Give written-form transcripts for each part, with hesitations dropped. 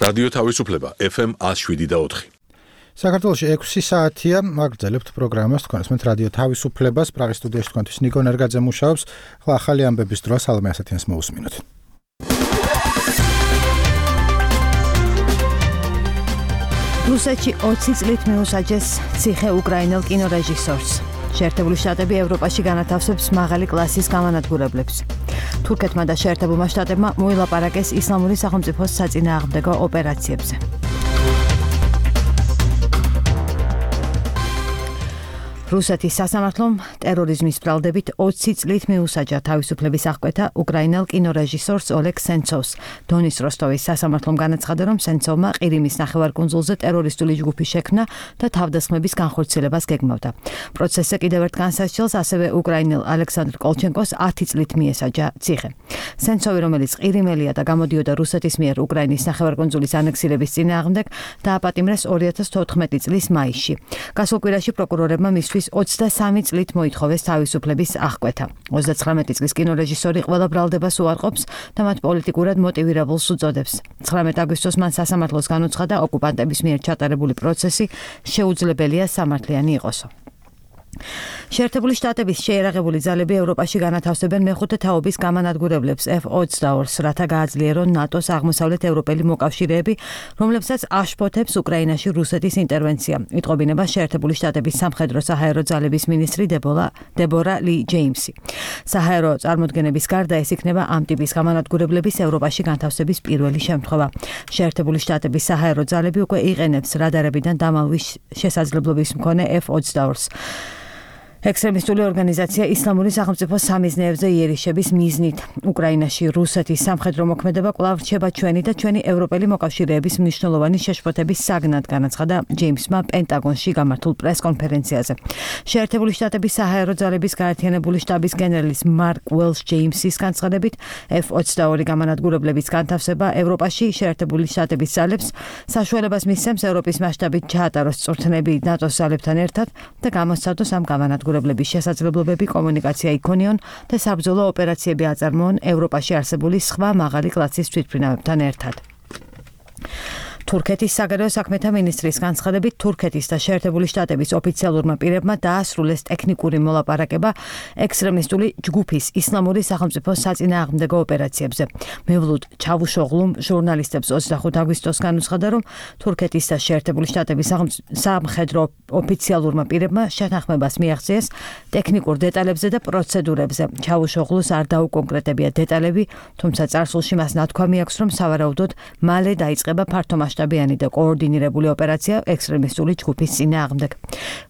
რადიო თავისუფლება FM 107.4. საქართველოში 6 საათია, აგრძელებთ პროგრამას თქვენს მე რადიო თავისუფლებას, პრაღის სტუდიაში თქვენთვის ნიკო ნერგაძე მუშაობს. ხლა ახალი ამბების დრო სალმე ასათიანს მოусმინოთ. რუსეთში 20 წლით მიუსაჯეს ციხე უკრაინელ კინორეჟისორს. შეერთებული შტატები ევროპაში განათავსებს მაღალი კლასის გამანადგურებლებს. თურქეთმა და შეერთებულმა შტატებმა მოილაპარაკეს ისლამური სახელმწიფოს საწინააღმდეგო ოპერაციებზე. რუსეთის სასამართლომ ტერორიზმის ბრალდებით 20 წლით მიუსაჯა თავისუფლების აღკვეთა უკრაინელ კინორეჟისორს ოლეგ სენცოვს. დონის როსტოვის სასამართლომ განაცხადა, რომ სენცოვმა ყირიმის ნახევარკუნძულზე ტერორისტული ჯგუფი შექმნა და თავდასხმების განხორციელებას გეგმავდა. პროცესზე კიდევ ერთ განსასჯელს ასევე უკრაინელ ალექსანდრ კოლჩენკოს 10 წლით მიესაჯა ციხე. სენცოვი, რომელიც ყირიმელია და გამოდიოდა რუსეთის მიერ უკრაინის ნახევარკუნძულის ანექსირების წინააღმდეგ, დააპატიმრეს 2014 წლის მაისში. გასულ კვირაში პროკურორებმა მისთვის 23 წლით მოითხოვეს თავისუფლების აღკვეთა. 39 წლის კინორეჟისორი ყველა ბრალდებას უარყოფს და მათ პოლიტიკურად მოტივირებულს უწოდებს. 19 აგვისტოს მან სასამართლოს განუცხადა, ოკუპანტების მიერ ჩატარებული პროცესი შეუძლებელია სამართლიანი იყოსო. შეერთებული შტატების შეერაღებული ძალები ევროპაში განათავსებენ მეხუთე თაობის გამანადგურებლებს F-22-ს, რათა გააძლიერონ ნატოს აღმოსავლეთ ევროპელი მოკავშირეები, რომლებსაც აშფოთებს უკრაინაში რუსეთის ინტერვენცია. იტყობინება შეერთებული შტატების სამხედრო საჰაერო ძალების მინისტრი დებორა ლი ჯეიმსი. საჰაერო წარმოდგენების გარდა ეს იქნება ამ ტიპის გამანადგურებლების ევროპაში განთავსების პირველი შემთხვევა. შეერთებული შტატების საჰაერო ძალები უკვე იყენებს რადარებიდან დამალვის შესაძლებლობის მქონე F-22-ს. ექსტრემისტული ორგანიზაცია ისლამური სახელმწიფოს სამიზნეებზე იერიშების მიზნით. უკრაინაში რუსეთის სამხედრო მოქმედება კვლავ რჩება ჩვენი და ჩვენი ევროპელი მოკავშირეების მნიშვნელოვანი შეშფოთების საგნად, განაცხადა ჯეიმსმა პენტაგონში გამართულ პრესკონფერენციაზე. შეერთებული შტატების საჰაერო ძალების გაერთიანებული შტაბის გენერლის მარკ უელშ ჯეიმსის განცხადებით, F-22 გამანადგურებლების განთავსება ევროპაში შეერთებული შტატების ძალებს საშუალებას მისცემს ევროპის მასშტაბით ჩაატაროს წვრთნები ნატოს ძალებთან ერთად და გამოსცადოს ამ გამანადგურებლების შესაძლებლობები, კომუნიკაცია იქონიონ და საბრძოლო ოპერაციები აწარმოონ ევროპაში არსებული სხვა მაღალი კლასის თვითმფრინავებთან ერთად. თურქეთის საგარეო საქმეთა მინისტრის განცხადებით, თურქეთის და შეერთებული შტატების ოფიციალურმა პირებმა დაასრულეს ტექნიკური მოლაპარაკება ექსტრემისტული ჯგუფის ისლამური სახელმწიფოს საწინააღმდეგო ოპერაციებზე. მევლუდ ჩავუშოღლუმ ჟურნალისტებს 25 აგვისტოს განუცხადა, რომ თურქეთის და შეერთებული შტატების სამხედრო ოფიციალურმა პირებმა შეთანხმებას მიაღწიეს ტექნიკურ დეტალებზე და პროცედურებზე. ჩავუშოღლუს არ დაუკონკრეტებია დეტალები, თუმცა წარსულში მას ნათქვამი აქვს, რომ სავარაუდოდ მალე დაიწყება ფართომასშტაბიანი და координირებული ოპერაცია ექსტრემისტული ჯგუფის წინააღმდეგ.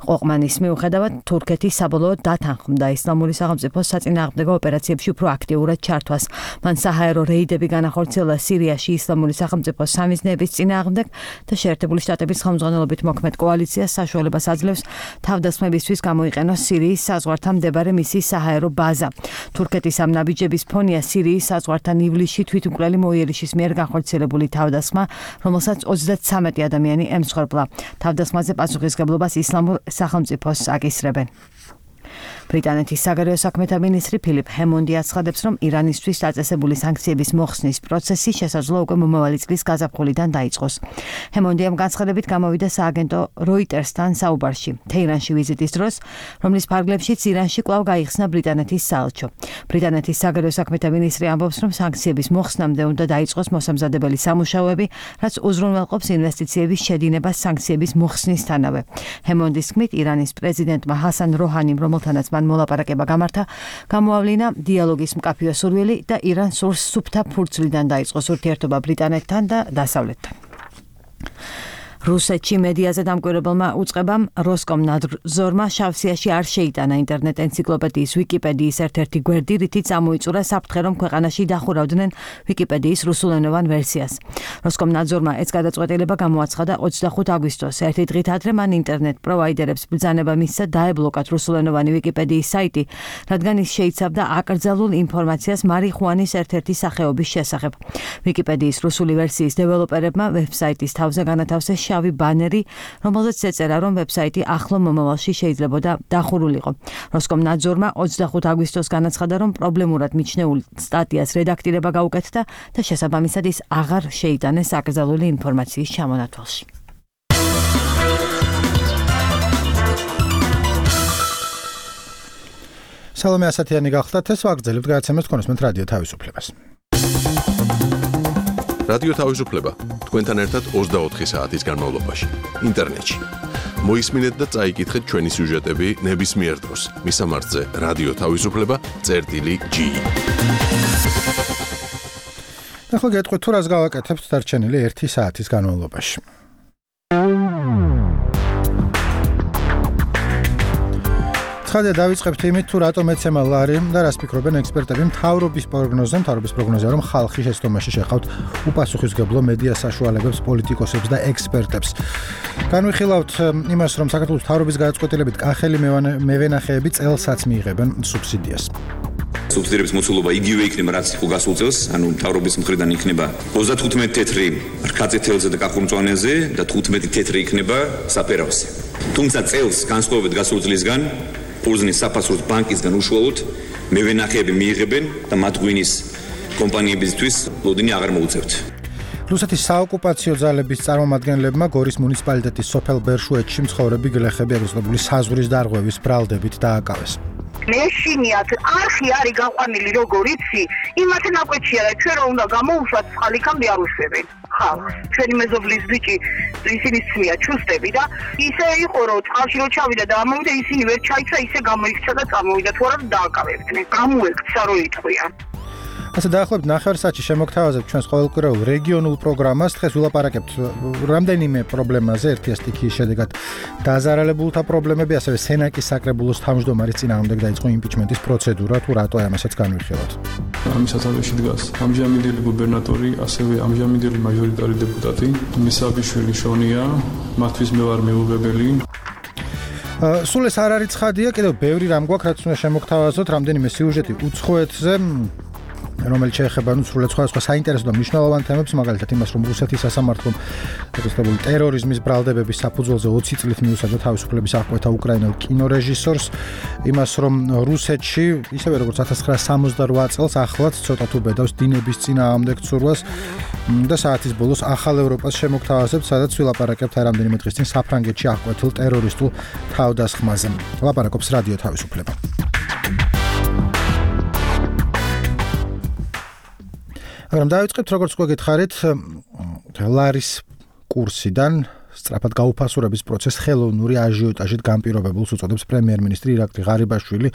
ყოყმანის მიუხედავად, თურქეთი საბოლოოდ დათანხმდა ისლამური სახელმწიფოს საწინააღმდეგო ოპერაციებში უფრო აქტიურად ჩართვას. მან საჰაერო რეიდები განახორციელა სირიაში ისლამური სახელმწიფოს სამიზნეების წინააღმდეგ და შეერთებული შტატების ხელმძღვანელობით მოქმედ კოალიციას საშუალებას აძლევს თავდასხმებისთვის გამოიყენოს სირიის საზღვართან მდებარე მისი საჰაერო ბაზა. თურქეთის ამ ნაბიჯების ფონია სირიის საზღვართან ივლისში თვითმკვლელი მოიერიშის მიერ განხორციელებული თავდასხმა, რომელსაც 33 ადამიანი ემსხვერპლა. თავდასხმაზე პასუხისგებლობას ისლამურ სახელმწიფოს აკისრებენ. ბრიტანეთის საგარეო საქმეთა მინისტრი ფილიპ ჰემონდი აცხადებს, რომ ირანისთვის დაწესებული სანქციების მოხსნის პროცესი შესაძლოა უკვე მომავალი წლის გაზაფხულიდან დაიწყოს. ჰემონდიამ განცხადებით გამოვიდა სააგენტო როიტერსთან საუბარში თეირანში ვიზიტის დროს, რომლის ფარგლებშიც ირანში კვლავ გაიხსნა ბრიტანეთის საელჩო. ბრიტანეთის საგარეო საქმეთა მინისტრი ამბობს, რომ სანქციების მოხსნამდე უნდა დაიწყოს მოსამზადებელი სამუშაოები, რაც უზრუნველყოფს ინვესტიციების შედინებას სანქციების მოხსნისთანავე. ჰემონდის თქმით, ირანის პრეზიდენტმა ჰასან როჰანიმ, რომელთანაც მან მოლაპარაკება გამართა, გამოავლინა დიალოგის მკაფიო სურვილი და ირანს სურს სუფთა ფურცლიდან დაიწყოს ურთიერთობა ბრიტანეთთან და დასავლეთთან. რუსეთში მედიაზე დამკვირვებელმა უწყებამ როსკომნadzorმა შავსიაში არ შეიტანა ინტერნეტ ენციკლოპედიის ვიკიპედიის ერთ-ერთი გვერდი, რითიც ამოიწურა საფრთხე, რომ ქვეყანაში დახურავდნენ ვიკიპედიის რუსულენოვან ვერსიას. როსკომნadzorმა ეს გადაწყვეტილება გამოაცხადა 25 აგვისტოს. ერთი დღით ადრე მან ინტერნეტ პროვაიდერებს ბრძანება მისცა დაებლოკათ რუსულენოვანი ვიკიპედიის საიტი, რადგან ის შეიცავდა აკრძალულ ინფორმაციას მარიხუანის ერთ-ერთი სახეობის შესახებ. ვიკიპედიის რუსული ვერსიის დეველოპერებმა ვებსაიტის თავზე განათავსეს შავი ბანერი, რომელზეც ეწერა, რომ ვებსაიტი ახლო მომავალში შეიძლებოდა დახურულიყო. როსკომნაძორმა 25 აგვისტოს განაცხადა, რომ პრობლემურად მიჩნეულ სტატიას რედაქტირება გაუკეთდა და შესაბამისად ის აღარ შეიტანეს აკრძალული ინფორმაციის ჩამონათვალში. სალომე ასათიანი გახლდათ, ეს ვაგრძელებთ გადაცემას თქვენსმენთ რადიო თავისუფლებას. რადიო თავისუფლება თქვენთან ერთად 24 საათის განმავლობაში ინტერნეტში. მოისმინეთ და წაიკითხეთ ჩვენი სიუჟეტები ნებისმიერ დროს. მისამართზე რადიო თავისუფლება.gi. ახლა გეტყვით თუ რას გავაკეთებთ დარჩენილი 1 საათის განმავლობაში. ცხადია დავიწყებთ იმით, თუ რატომ ეცემა ლარი და რას ფიქრობენ ექსპერტები მთავრობის პროგნოზზე, რომ ხალხი შეცდომაში შეხავთ უპასუხისმგებლო მედია საშუალებებს, პოლიტიკოსებს და ექსპერტებს. განვიხილავთ იმას, რომ საქართველოს მთავრობის გადაწყვეტილებით კახელი მევენახეები წელსაც მიიღებენ სუბსიდიას. სუბსიდიების მოცულობა იგივე იქნება, რაც იყო გასულ წელს, ანუ მთავრობის მხრიდან იქნება 35 თეთრი რქაწითელზე თელზე და კახურმწვანეზე და 15 თეთრი იქნება საფერავზე. თუმცა წელს განსხვავებით გასულ წლისგან პულზნის საფასურის ბანკისგან უშუალოდ მევენახეები მიიღებენ და მათ ღვინის კომპანიებისთვის ლოდინი აღარ მოუწევთ. რუსეთის საოკუპაციო ძალების წარმომადგენლებმა გორის მუნიციპალიტეტის სოფელ ბერშუეთში მცხოვრები გლეხები აგრესიული საზღვრის დარღვევის ბრალდებით დააკავეს. მეშინიათ არხი არის გაყვანილი როგორ იცი, იმათ ნაკვეთშია და ჩვენ რომ უნდა გამოვუშვათ ხალიქამდე არ უშვებენ. ხალხს ჩვენი მეზობლის ბიჭი ისინი სმია ჩუსტები და ისე იყო რომ წყალში რო ჩავიდა და ამოვიდა ისინი ვერ ჩაიცა ისე გამოიქცა და წამოვიდა თუ არა დააკავებდნენ. გამოექცა რო იტყვია. ასე დაახლოებით 9 საათში შემოგთავაზებთ ჩვენს ყოველკვირეულ რეგიონულ პროგრამას. დღეს ვილაპარაკებთ რამდენიმე პრობლემაზე, ერთი სტიქიის შედეგად დაზარალებულთა პრობლემები, ასევე სენაკის საკრებულოს თავმჯდომარის წინააღმდეგ დაიწყო იმპიჩმენტის პროცედურა, თუ რატო ამასაც განვიხილოთ. ამის სათავეში დგას ამჟამინდელი გუბერნატორი, ასევე ამჟამინდელი მაჟორიტარი დეპუტატი, მისაბიშვილი შონია, მათთვის მე ვარ მეუღებელი. სულ ეს არ არის ცხადია, კიდევ ბევრი რამ გვაქვს, რაც უნდა შემოგთავაზოთ, რამდენიმე სიუჟეტი უცხოეთზე, რომელიც შეეხება სრულად სხვადასხვა საინტერესო და მნიშვნელოვან თემებს, მაგალითად იმას, რომ რუსეთის სასამართლომ დაწესებული ტერორიზმის ბრალდებების საფუძველზე 20 წლით მიუსაჯა თავისუფლების აღკვეთა უკრაინელ კინორეჟისორს, იმას, რომ რუსეთში, ისევე როგორც 1968 წელს, ახლაც ცოტა თუ ბედავს დინების წინააღმდეგ ცურვას და საათის ბოლოს ახალ ევროპას შემოგთავაზებთ, სადაც ვილაპარაკებთ რამდენიმე დღის წინ საფრანგეთში აღკვეთილ ტერორისტულ თავდასხმაზე. ლაპარაკობს რადიო თავისუფლება. მაგრამ დავიწყებთ, როგორც გვეკითხარით, ლარის კურსიდან სწრაფად გაუფასურების პროცესს ხელოვნური აჟიოტაჟით განპირობებულს უწოდებს პრემიერ-მინისტრი ირაკლი ღარიბაშვილი.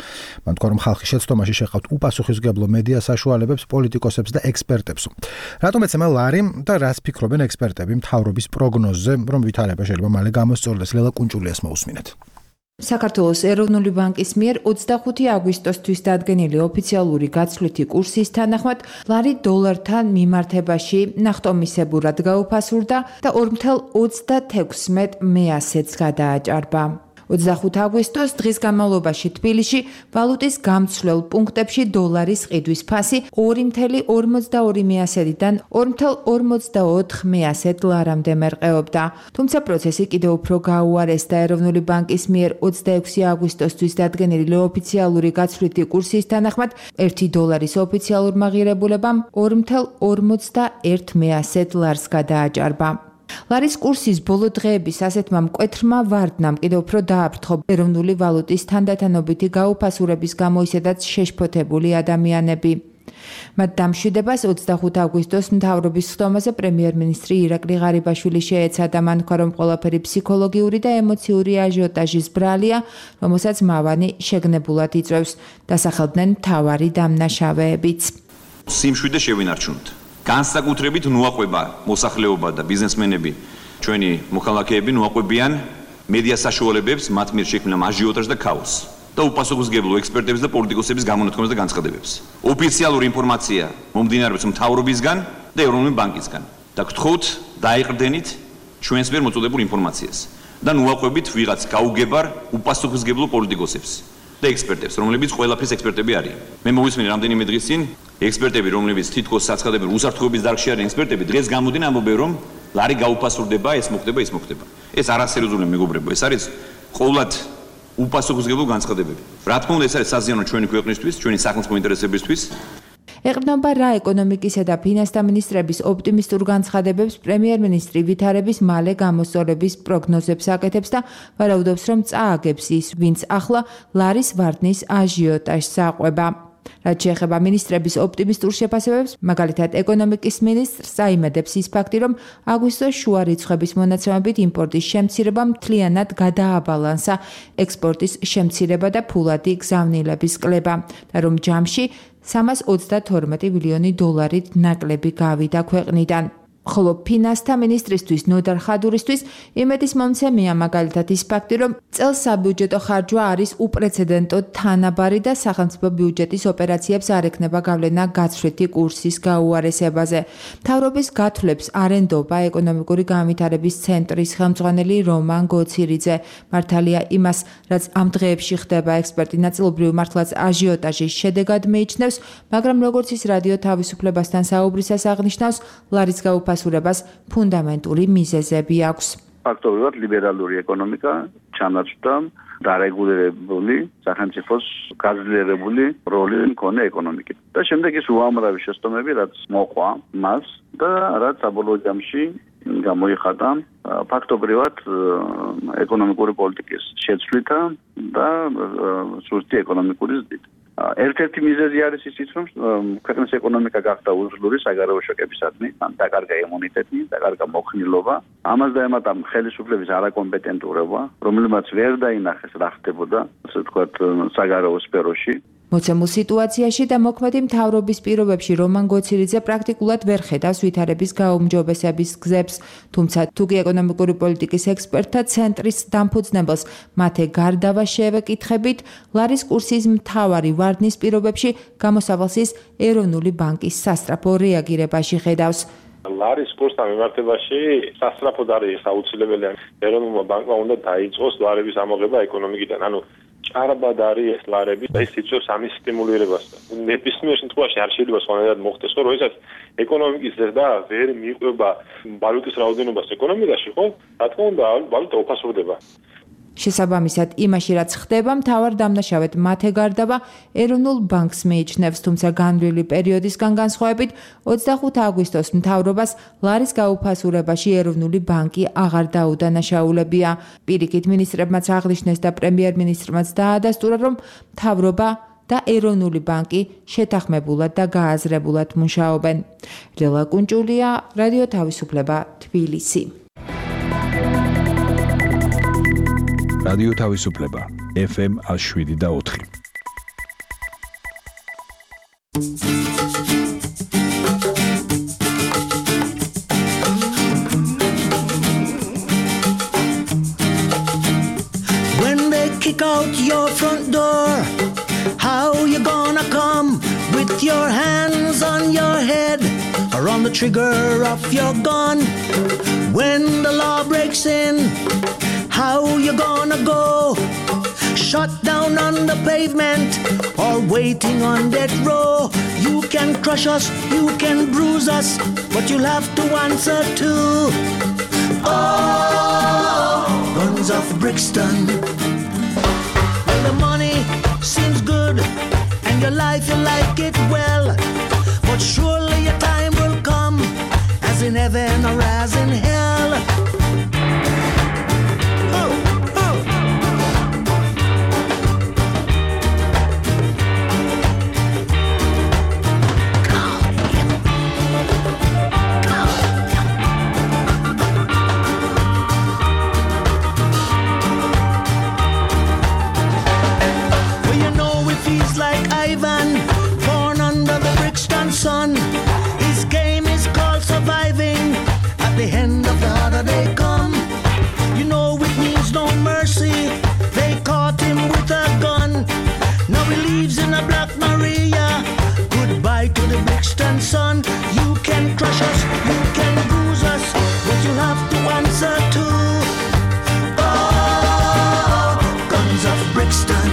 მან თქვა, რომ ხალხი შეცდომაში შეხავთ უპასუხისმგებლო მედია საშუალებებს, პოლიტიკოსებს და ექსპერტებს. რატომ ეცემა ლარი და რას ფიქრობენ ექსპერტები მთავრობის პროგნოზზე, რომ ვითარება შეიძლება მალე გამოსწორდეს? ლელა კუნჭულიას მოусმინეთ. საქართველოს ეროვნული ბანკის მიერ 25 აგვისტოსთვის დადგენილი ოფიციალური გაცვლითი კურსის თანახმად ლარი დოლართან მიმართებაში ნახტომისებურად გაუფასურდა და 4.36 გადააჭარბა. 25 აგვისტოს დღის განმავლობაში თბილისში ვალუტის გამცვლელ პუნქტებში დოლარის ყიდვის ფასი 2.42-დან 2.44 ლარამდე მერყეობდა. თუმცა პროცესი კიდევ უფრო გაუარესდა. ეროვნული ბანკის მიერ 26 აგვისტოსთვის დადგენილი ოფიციალური გაცვლითი კურსის თანახმად 1 დოლარის ოფიციალურმა ღირებულებამ 2.41 ლარს გადააჭარბა. ლარის კურსის ბოლო დღეების ასეთმა მკვეთრმა ვარდნამ კიდევ უფრო დააფრთხო ეროვნული ვალუტის თანდათანობითი გაუფასურების გამო ისედაც შეშფოთებული ადამიანები. მათ დამშვიდებას 25 აგვისტოს მთავრობის ხდომაზე პრემიერ-მინისტრი ირაკლი ღარიბაშვილი შეეცადა. მან თქვა, რომ ყველაფერი ფსიქოლოგიური და ემოციური აჟიოტაჟის ბრალია, რომელსაც მავანი შეგნებულად იწვევს. დასახელდნენ მთავარი დამნაშავეებიც. სიმშვიდე შევინარჩუნოთ. განსაკუთრებით ნუაყვება მოსახლეობა და ბიზნესმენები, ჩვენი მოქალაქეები ნუაყვებიან მედია საშუალებებს, მათ მიერ შექმნილ აჟიოტაჟს და ქაოსს და უპასუხისმგებლო ექსპერტების და პოლიტიკოსების გამონათქვამებს და განცხადებებს. ოფიციალური ინფორმაცია მომდინარეობს მთავრობისგან და ეროვნული ბანკისგან და გთხოვთ დაიყრდენით ჩვენს მიერ მოწოდებულ ინფორმაციას და ნუაყვებით ვიღაც გაუგებარ უპასუხისმგებლო პოლიტიკოსებს და ექსპერტებს, რომლებიც ყველაფრის ექსპერტები არიან. მე მოვისმინე რამდენიმე დღის წინ ექსპერტები, რომლებიც თითქოს საცხადები უსაფრთხოების დარგში არიან ექსპერტები, დღეს გამოდიან ამბობენ, რომ ლარი გაუფასურდება, ეს მოხდება. ეს არასერიოზული მეგობრებო, ეს არის ყოვლად უპასუხისმგებლო განცხადებები. რა თქმა უნდა, ეს არის საზიანო ჩვენი ქვეყნისთვის, ჩვენი სახელმწიფო ინტერესებისთვის. ეყრდნობა რა ეკონომიკისა და ფინანსთა მინისტრების ოპტიმისტურ განცხადებებს პრემიერ-მინისტრი ვითარების მალე გამოსწორების პროგნოზებს აკეთებს და ვარაუდობს, რომ წააგებს ის, ვინც ახლა ლარის ვარდნის აჟიოტაჟს აყვება. რაც შეეხება მინისტრების ოპტიმისტურ შეფასებებს, მაგალითად ეკონომიკის მინისტრს აიმედებს ის ფაქტი, რომ აგვისტოს შუა რიცხვების მონაცემებით იმპორტის შემცირება მთლიანად გადააბალანსა ექსპორტის შემცირება და ფულადი გზავნილების კლება და რომ ჯამში 332 მილიონი დოლარით ნაკლები გავიდა ქვეყნიდან. ხოლო ფინანსთა მინისტრისთვის ნოდარ ხადურისთვის იმედის მომცემია მაგალითად ის ფაქტი, რომ წელს საბიუჯეტო ხარჯვა არის უპრეცედენტო თანაბარი და სახელმწიფო ბიუჯეტის ოპერაციებს არ ექნება გავლენა გაცვლითი კურსის გაუარესებაზე. მთავრობის გათვლებს არენდობა ეკონომიკური განვითარების ცენტრის ხელმძღვანელი რომან გოცირიძე. მართალია იმას, რაც ამ დღეებში ხდება, ექსპერტი ნაწილობრივ მართლაც აჟიოტაჟის შედეგად მიიჩნევს, მაგრამ როგორც ის რადიო თავისუფლებასთან საუბრისას აღნიშნავს, ლარის ფასურებას ფუნდამენტური მიზეზები აქვს. ფაქტობრივად ლიბერალური ეკონომიკა ჩანაცვდა დარეგულირებული სახელმწიფოს გაძლიერებული როლი მქონე ეკონომიკით. და შემდეგ ის უამრავი შეცდომები, რაც მოყვა მას და რაც საბოლოო ჯამში გამოიხატა ფაქტობრივად ეკონომიკური პოლიტიკის შეცვლითა და სუსტი ეკონომიკური ზრდით. ერთ-ერთი მიზეზი არის ისიც, რომ ქვეყნის ეკონომიკა გახდა უძლური საგარეო შოკებისადმი, დაკარგა იმუნიტეტი, დაკარგა მოხნილობა, ამას დაემატა ხელისუფლების არაკომპეტენტურობა, რომელმაც ვერ დაინახეს რა ხდებოდა, ასე ვთქვათ, საგარეო სფეროში. მოცემულ სიტუაციაში და მოქმედი მთავრობის პირობებში რომან გოცირიძე პრაქტიკულად ვერ ხედავს ვითარების გაუმჯობესების გზებს, თუმცა თუკი ეკონომიკური პოლიტიკის ექსპერტთა ცენტრის დამფუძნებელს მათე გარდავა შევეკითხებით, ლარის კურსის მთავარი ვარდნის პირობებში გამოსავალს ის ეროვნული ბანკის სასწრაფო რეაგირებაში ხედავს. ლარის კურსთან მიმართებაში სასწრაფოდ არის აუცილებელი, ეროვნულმა ბანკმა უნდა დაიწყოს ლარების ამოღება ეკონომიკიდან, ანუ ჭარბად არის ეს ლარები და ის იწვევს ამის სტიმულირებას. ნებისმიერ შემთხვევაში არ შეიძლება სხვანაირად მოხდეს, რომ როდესაც ეკონომიკის ზრდა ვერ მიყვება ვალუტის რაოდენობას ეკონომიკაში, ხო? რა თქმა უნდა, ვალუტა უფასურდება. შესაბამისად, იმაში რაც ხდება, მთავარ დამნაშავედ მათე გარდავა ეროვნულ ბანკს მიიჩნევს, თუმცა განვლილი პერიოდისგან განსხვავებით 25 აგვისტოს მთავრობას ლარის გაუფასურებაში ეროვნული ბანკი აღარ დაუდანაშაულებია. პირიქით მინისტრებმაც აღნიშნეს და პრემიერ-მინისტრმაც დაადასტურა, რომ მთავრობა და ეროვნული ბანკი შეთანხმებულად და გააზრებულად მუშაობენ. ლელა კუნჭულია, რადიო თავისუფლება, თბილისი. რადიო თავისუფლება FM 107.4. When they kick out your front door, how you gonna come with your hands on your head or on the trigger of your gun? When the law breaks in, how you gonna go? Shut down on the pavement or waiting on death row? You can crush us, you can bruise us, but you'll have to answer too. Oh, guns of Brixton. When the money seems good and your life you like it well, but surely your time will come, as in heaven or as in hell. Son, his game is called surviving. At the end of the harder they come, you know it means no mercy. They caught him with a gun. Now he lives in a Black Maria. Goodbye to the Brixton sun. You can crush us, you can bruise us, but you have to answer to. Oh, guns of Brixton.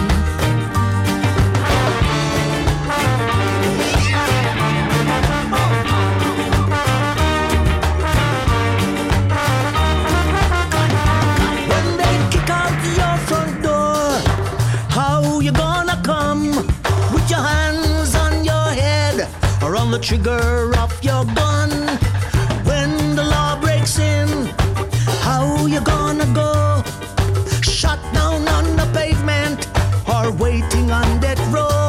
on the trigger of your gun. When the law breaks in, how you gonna go? Shut down on the pavement or waiting on death row?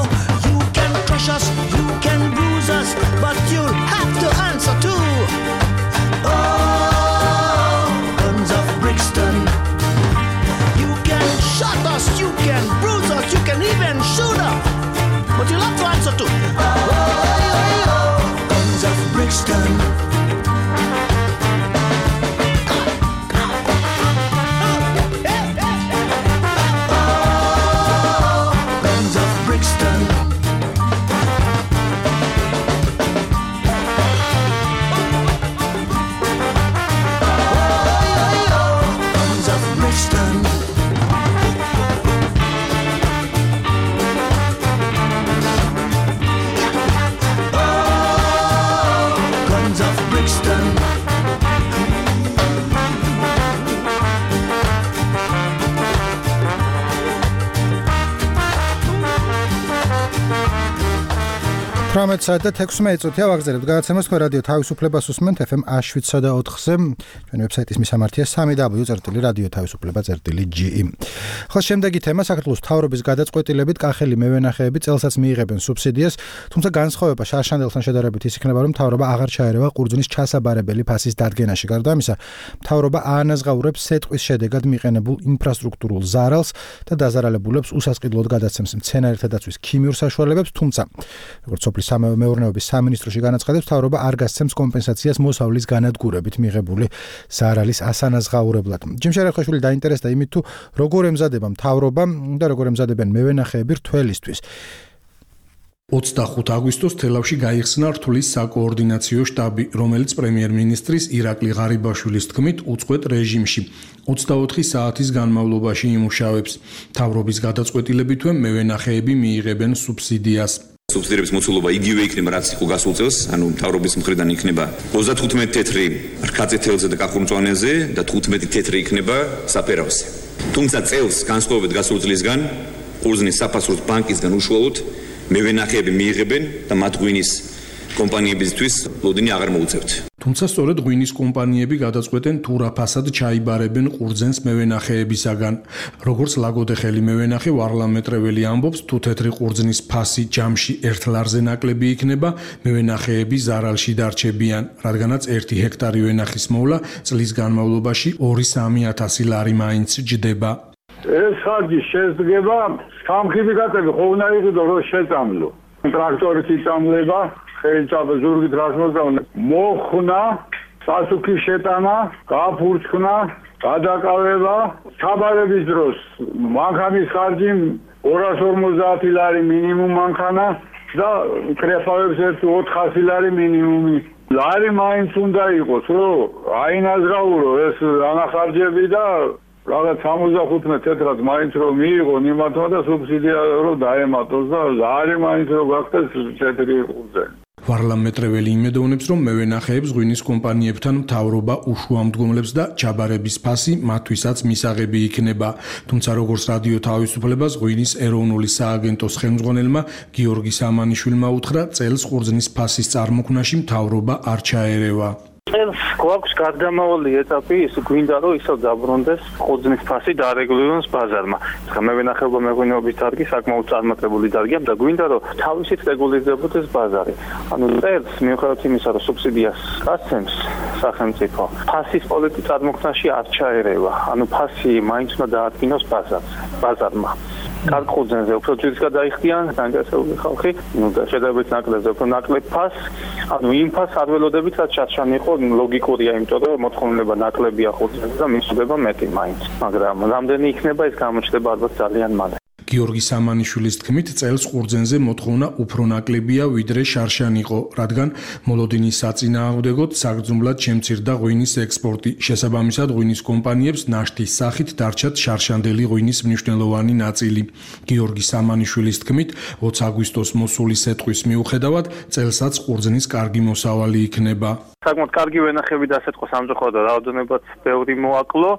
You can crush us, you can bruise us, but you'll have to answer too. Oh, guns of Brixton. You can shut us, you can bruise us, you can even shoot us, but you'll have to answer too. Oh, guns of Brixton. საათი და 16 წუთია ვაგზავნებთ გადაცემას თქვენ რადიო თავისუფლებას უსმენთ FM 107.4-ზე ჩვენი ვებსაიტის მისამართია www.radiotavisufleba.ge. ხო, შემდეგი თემა საქართველოს მთავრობის გადაწყვეტილებით კახელი მევენახეები წელსაც მიიღებენ სუბსიდიას, თუმცა განსხვავება შარშანელთან შედარებით ის იქნება, რომ მთავრობა აღარ ჩაერევა ყურძნის ჩასაბარებელი ფასის დადგენაში. გარდა ამისა, მთავრობა აანაზღაურებს სეტყვის შედეგად მიყენებულ ინფრასტრუქტურულ ზარალს და დაზარალებულებს უსასყიდლოდ გადაცემს მცენარეთა დაცვის ქიმიურ საშუალებებს, თუმცა როგორც სოფლის მეურნეობის სამინისტროში განაცხადებს, მთავრობა არ გასცემს კომპენსაციას მოსავლის განადგურებით მიღებული ზარალის ასანაზღაურებლად. ჯიმ შერეხაშვილი დაინტერესდა იმით, თუ როგორ ემზადება მთავრობა და როგორ ემზადებენ მევენახეები რთველისთვის. 25 აგვისტოს თელავში გაიხსნა რთulis საკოორდინაციო შტაბი, რომელიც პრემიერ-მინისტრის ირაკლი ღარიბაშვილის თქმით უწყვეტ რეჟიმში 24 საათის განმავლობაში იმუშავებს. მთავრობის გადაწყვეტილებით მევენახეები მიიღებენ სუბსიდიას. სუბსიდიების მოცულობა იგივე იქნება, რაც იყო გასულ წელს, ანუ მთავრობის მხრიდან იქნება 35 თეთრი რქაწე თელზე და კახურმწვანეზე და 15 თეთრი იქნება საფერავზე. თუმცა წელს განსხვავებით გასულ წლისგან, ყურძნის საფასურის ბანკისგან უშუალოდ მევენახეები მიიღებენ და მათ ღვინის კომპანიებისთვის ლოდინი აღარ მოუწევთ. თუმცა სწორედ ღვინის კომპანიები გადაწყვეტენ თუ რა ფასად ჩაიბარებენ ყურძენს მევენახეებისაგან. როგორც ლაგოდეხელი მევენახე ვარლამ მეტრეველი ამბობს, თუ თეთრი ყურძნის ფასი ჯამში 1 ლარზე ნაკლები იქნება, მევენახეები ზარალში დარჩებიან, რადგანაც 1 ჰექტარი ვენახის მოვლა წლის განმავლობაში 2-3 ლარი მაინც ჯდება. ეს ხარჯი შედგება სამხიბიკატები ხო უნდა იყიდო რომ შეწამლო. ტრაქტორით იწამლება, ხელჭაბა ზურგით რას მოწამლო. მოხნა, სასუქის შეტანა, გაფურჩქნა, გადაკავება, ჩაბარების დროს მანქანის ხარჯი 250 ლარი მინიმუმ მანქანა და კრეფავებს 400 ლარი მინიმუმი. ლარი მაინც უნდა იყოს, რომ აინაზღაურო ეს ანახარჯები და რაღაც 75 თეთრად მაინც რომ მიიღო იმათმა და სუბსიდია რომ დაემატოს და ლარი მაინც რომ გახდეს თეთრი ყურძენი. ვარლამ მეტრეველი იმედოვნებს, რომ მევენახეებს ღვინის კომპანიებთან მთავრობა უშუამდგომლებს და ჩაბარების ფასი მათთვისაც მისაღები იქნება. თუმცა როგორც რადიო თავისუფლებას ღვინის ეროვნული სააგენტოს ხელმძღვანელმა გიორგი სამანიშვილმა უთხრა, წელს ყურძნის ფასის წარმოქმნაში მთავრობა არ ჩაერევა. წელს გვაქვს გარდამავალი ეტაპი, ის გვინდა რომ ისევ დაბრუნდეს ყურძნის ფასი დარეგულიროს ბაზარმა. მევენახეობა მეღვინეობის დარგი საკმაოდ წარმატებული დარგია და გვინდა რომ თავისით რეგულირდებოდეს ბაზარი. ანუ წელს მიუხედავად იმისა, რომ სუბსიდიას გასცემს სახელმწიფო, ფასის პოლიტიკის წარმოქმნაში არ ჩაერევა. ანუ ფასი მაინც უნდა დაადგინოს ბაზარმა. კარგ ყურძენზე უფრო ძირს გადაიხდიან საინტერესოები ხალხი, და შედარებით ნაკლებზე უფრო ნაკლებ ფასს, ანუ იმ ფასს არ ველოდებით, რაც შარშანი იყო, ლოგიკურია, იმიტომ რომ მოთხოვნილება ნაკლებია ყურძენზე და მისუდება მეტი მაინც, მაგრამ რამდენი იქნება ეს გამოჩნდება ალბათ ძალიან მალე. გიორგი სამანიშვილის თქმით, წელს ყურძენზე მოთხოვნა უფრო ნაკლებია, ვიდრე შარშანი იყო, რადგან მოლოდინის საწინააღმდეგოდ საგრძნობლად შემცირდა ღვინის ექსპორტი. შესაბამისად, ღვინის კომპანიებს ნაშთის სახით დარჩათ შარშანდელი ღვინის მნიშვნელოვანი ნაწილი. გიორგი სამანიშვილის თქმით, 20 აგვისტოს მოსული სეტყვის მიუხედავად, წელსაც ყურძნის კარგი მოსავალი იქნება. საკმაოდ კარგი ვენახები დასეტყვა სამწუხაროდ და რაოდენობაც ბევრი მოაკლო.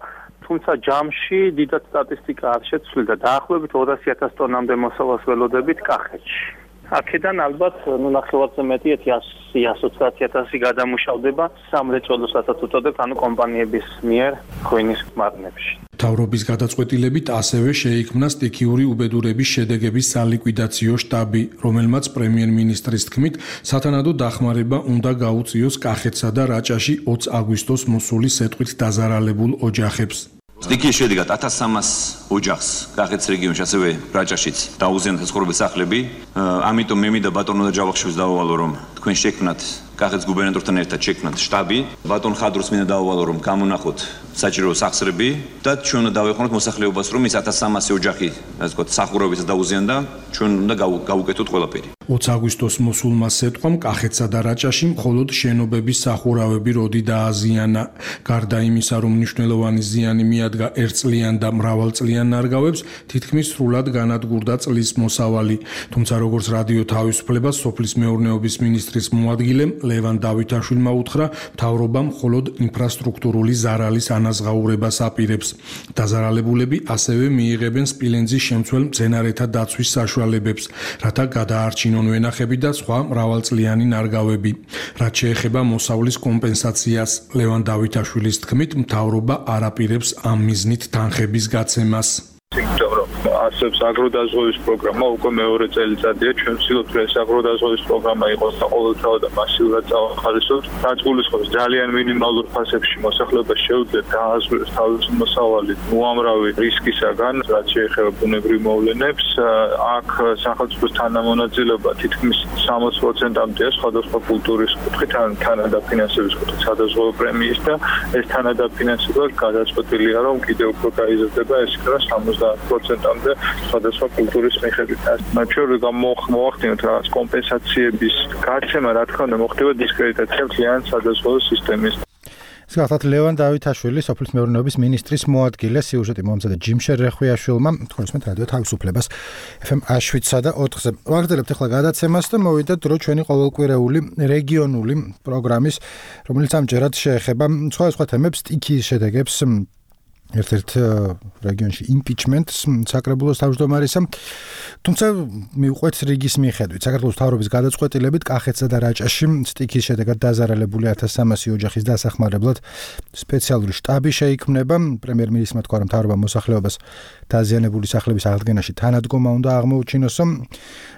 თუმცა ჯამში დიდად სტატისტიკა არ შეცვლილა და დაახლოებით 200,000 ტონამდე მოსავალს ველოდებით კახეთში. აქედან ალბათ ნახევარზე მეტი 120,000 გადამუშავდება სამრეწველოსაც უწოდებ, ანუ კომპანიების მიერ ღვინის მარნებში. მთავრობის გადაწყვეტილებით ასევე შეიქმნა სტიქიური უბედურების შედეგების სალიკვიდაციო შტაბი, რომელმაც პრემიერ-მინისტრის თქმით, სათანადო დახმარება უნდა გაუწიოს კახეთსა და რაჭაში 20 აგვისტოს მოსული სეტყვით დაზარალებულ ოჯახებს. სტიქიის შედეგად 1300 ოჯახს კახეთის რეგიონში, ასევე რაჭაშიც დაუზიანდა ცხოვრების სახლები. ამიტომ მე მინდა ბატონო და ჯავახიშვილს დავავალო, რომ თქვენ შექმნათ კახეთის გუბერნატორთან ერთად შექმნათ შტაბი. ბატონ ხადროს მინდა დავავალო, რომ გამონახოთ საჭირო სახსრები და ჩვენ უნდა დავეხმაროთ მოსახლეობას, რომ ის 1300 ოჯახი, ასე ვთქვათ, სახურავებისაც დაუზიანდა, ჩვენ უნდა გავუკეთოთ ყველაფერი. 20 აგვისტოს მოსულმა სეტყვამ კახეთსა და რაჭაში მხოლოდ შენობების სახურავები როდი დააზიანა. გარდა იმისა, რომ მნიშვნელოვანი ზიანი მიადგა ერთწლიან და მრავალწლიან ნარგავებს, თითქმის სრულად განადგურდა წლის მოსავალი. თუმცა როგორც რადიო თავისუფლებას სოფლის მეურნეობის მინისტრის მოადგილემ ლევან დავითაშვილმა უთხრა, მთავრობა მხოლოდ ინფრასტრუქტურული ზარალის ანაზღაურებას აპირებს. დაზარალებულები ასევე მიიღებენ სპილენძის შემცველ მცენარეთა დაცვის საშუალებებს, რათა გადაარჩინონ ვენახები და სხვა მრავალწლიანი ნარგავები. რაც შეეხება მოსავლის კომპენსაციას, ლევან დავითაშვილის თქმით, მთავრობა არ აპირებს ამ მიზნით თანხების გაცემას. არსებობს აგროდაზღვევის პროგრამა, უკვე მეორე წელიწადია ჩვენ ვცდილობთ, რომ ეს აგროდაზღვევის პროგრამა იყოს და ყოველდღიურად და მასიურად წავახალისოთ. რაც გულისხმობს ძალიან მინიმალურ ფასებში მოსახლეობას შეუძლიათ დააზღვიოს თავისი მოსავალი უამრავი რისკისაგან, რაც შეეხება ბუნებრივ მოვლენებს. აქ სახელმწიფოს თანამონაწილეობა თითქმის 60%-მდეა სხვადასხვა კულტურის კუთხით, ან თანადაფინანსების კუთხით სადაზღვევო პრემიის და ეს თანადაფინანსება გადაწყვეტილია, რომ კიდევ უფრო გაიზრდება, ეს იქნება 70%-მდე სხვადასხვა კულტურის მიხედვით. ჩვენ მოვახდინოთ რაღაც კომპენსაციების გაცემა, რა თქმა უნდა, მოხდება დისკრედიტაცია მთლიანი სადაზღვევო სისტემის. ეს გახლავთ ლევან დავითაშვილი, სოფლის მეურნეობის მინისტრის მოადგილე, სიუჟეტი მომზადა ჯიმშერ რეხვიაშვილმა, თქვენსმეთ რადიო თავისუფლებას FM 7-სა და 4-ზე. ვაგრძელებთ ახლა გადაცემას და მოვიდათ დრო ჩვენი ყოველკვირეული რეგიონული პროგრამის, რომელიც ამჯერად შეეხება სხვა თემებს, სტიქიის შედეგებს, ერთ-ერთ რეგიონში იმპიჩმენტს საკრებულოს თავმჯდომარისა. თუმცა მიუყვეთ რიგის მიხედვით, საქართველოს მთავრობის გადაწყვეტილებით კახეთსა და რაჭაში სტიქიის შედეგად დაზარალებული 1300 ოჯახის დასახმარებლად სპეციალური შტაბი შეიქმნება. პრემიერ-მინისტრმა თქვა, რომ მთავრობა მოსახლეობას დაზიანებული სახლების აღდგენაში თანადგომა უნდა აღმოუჩინოსო.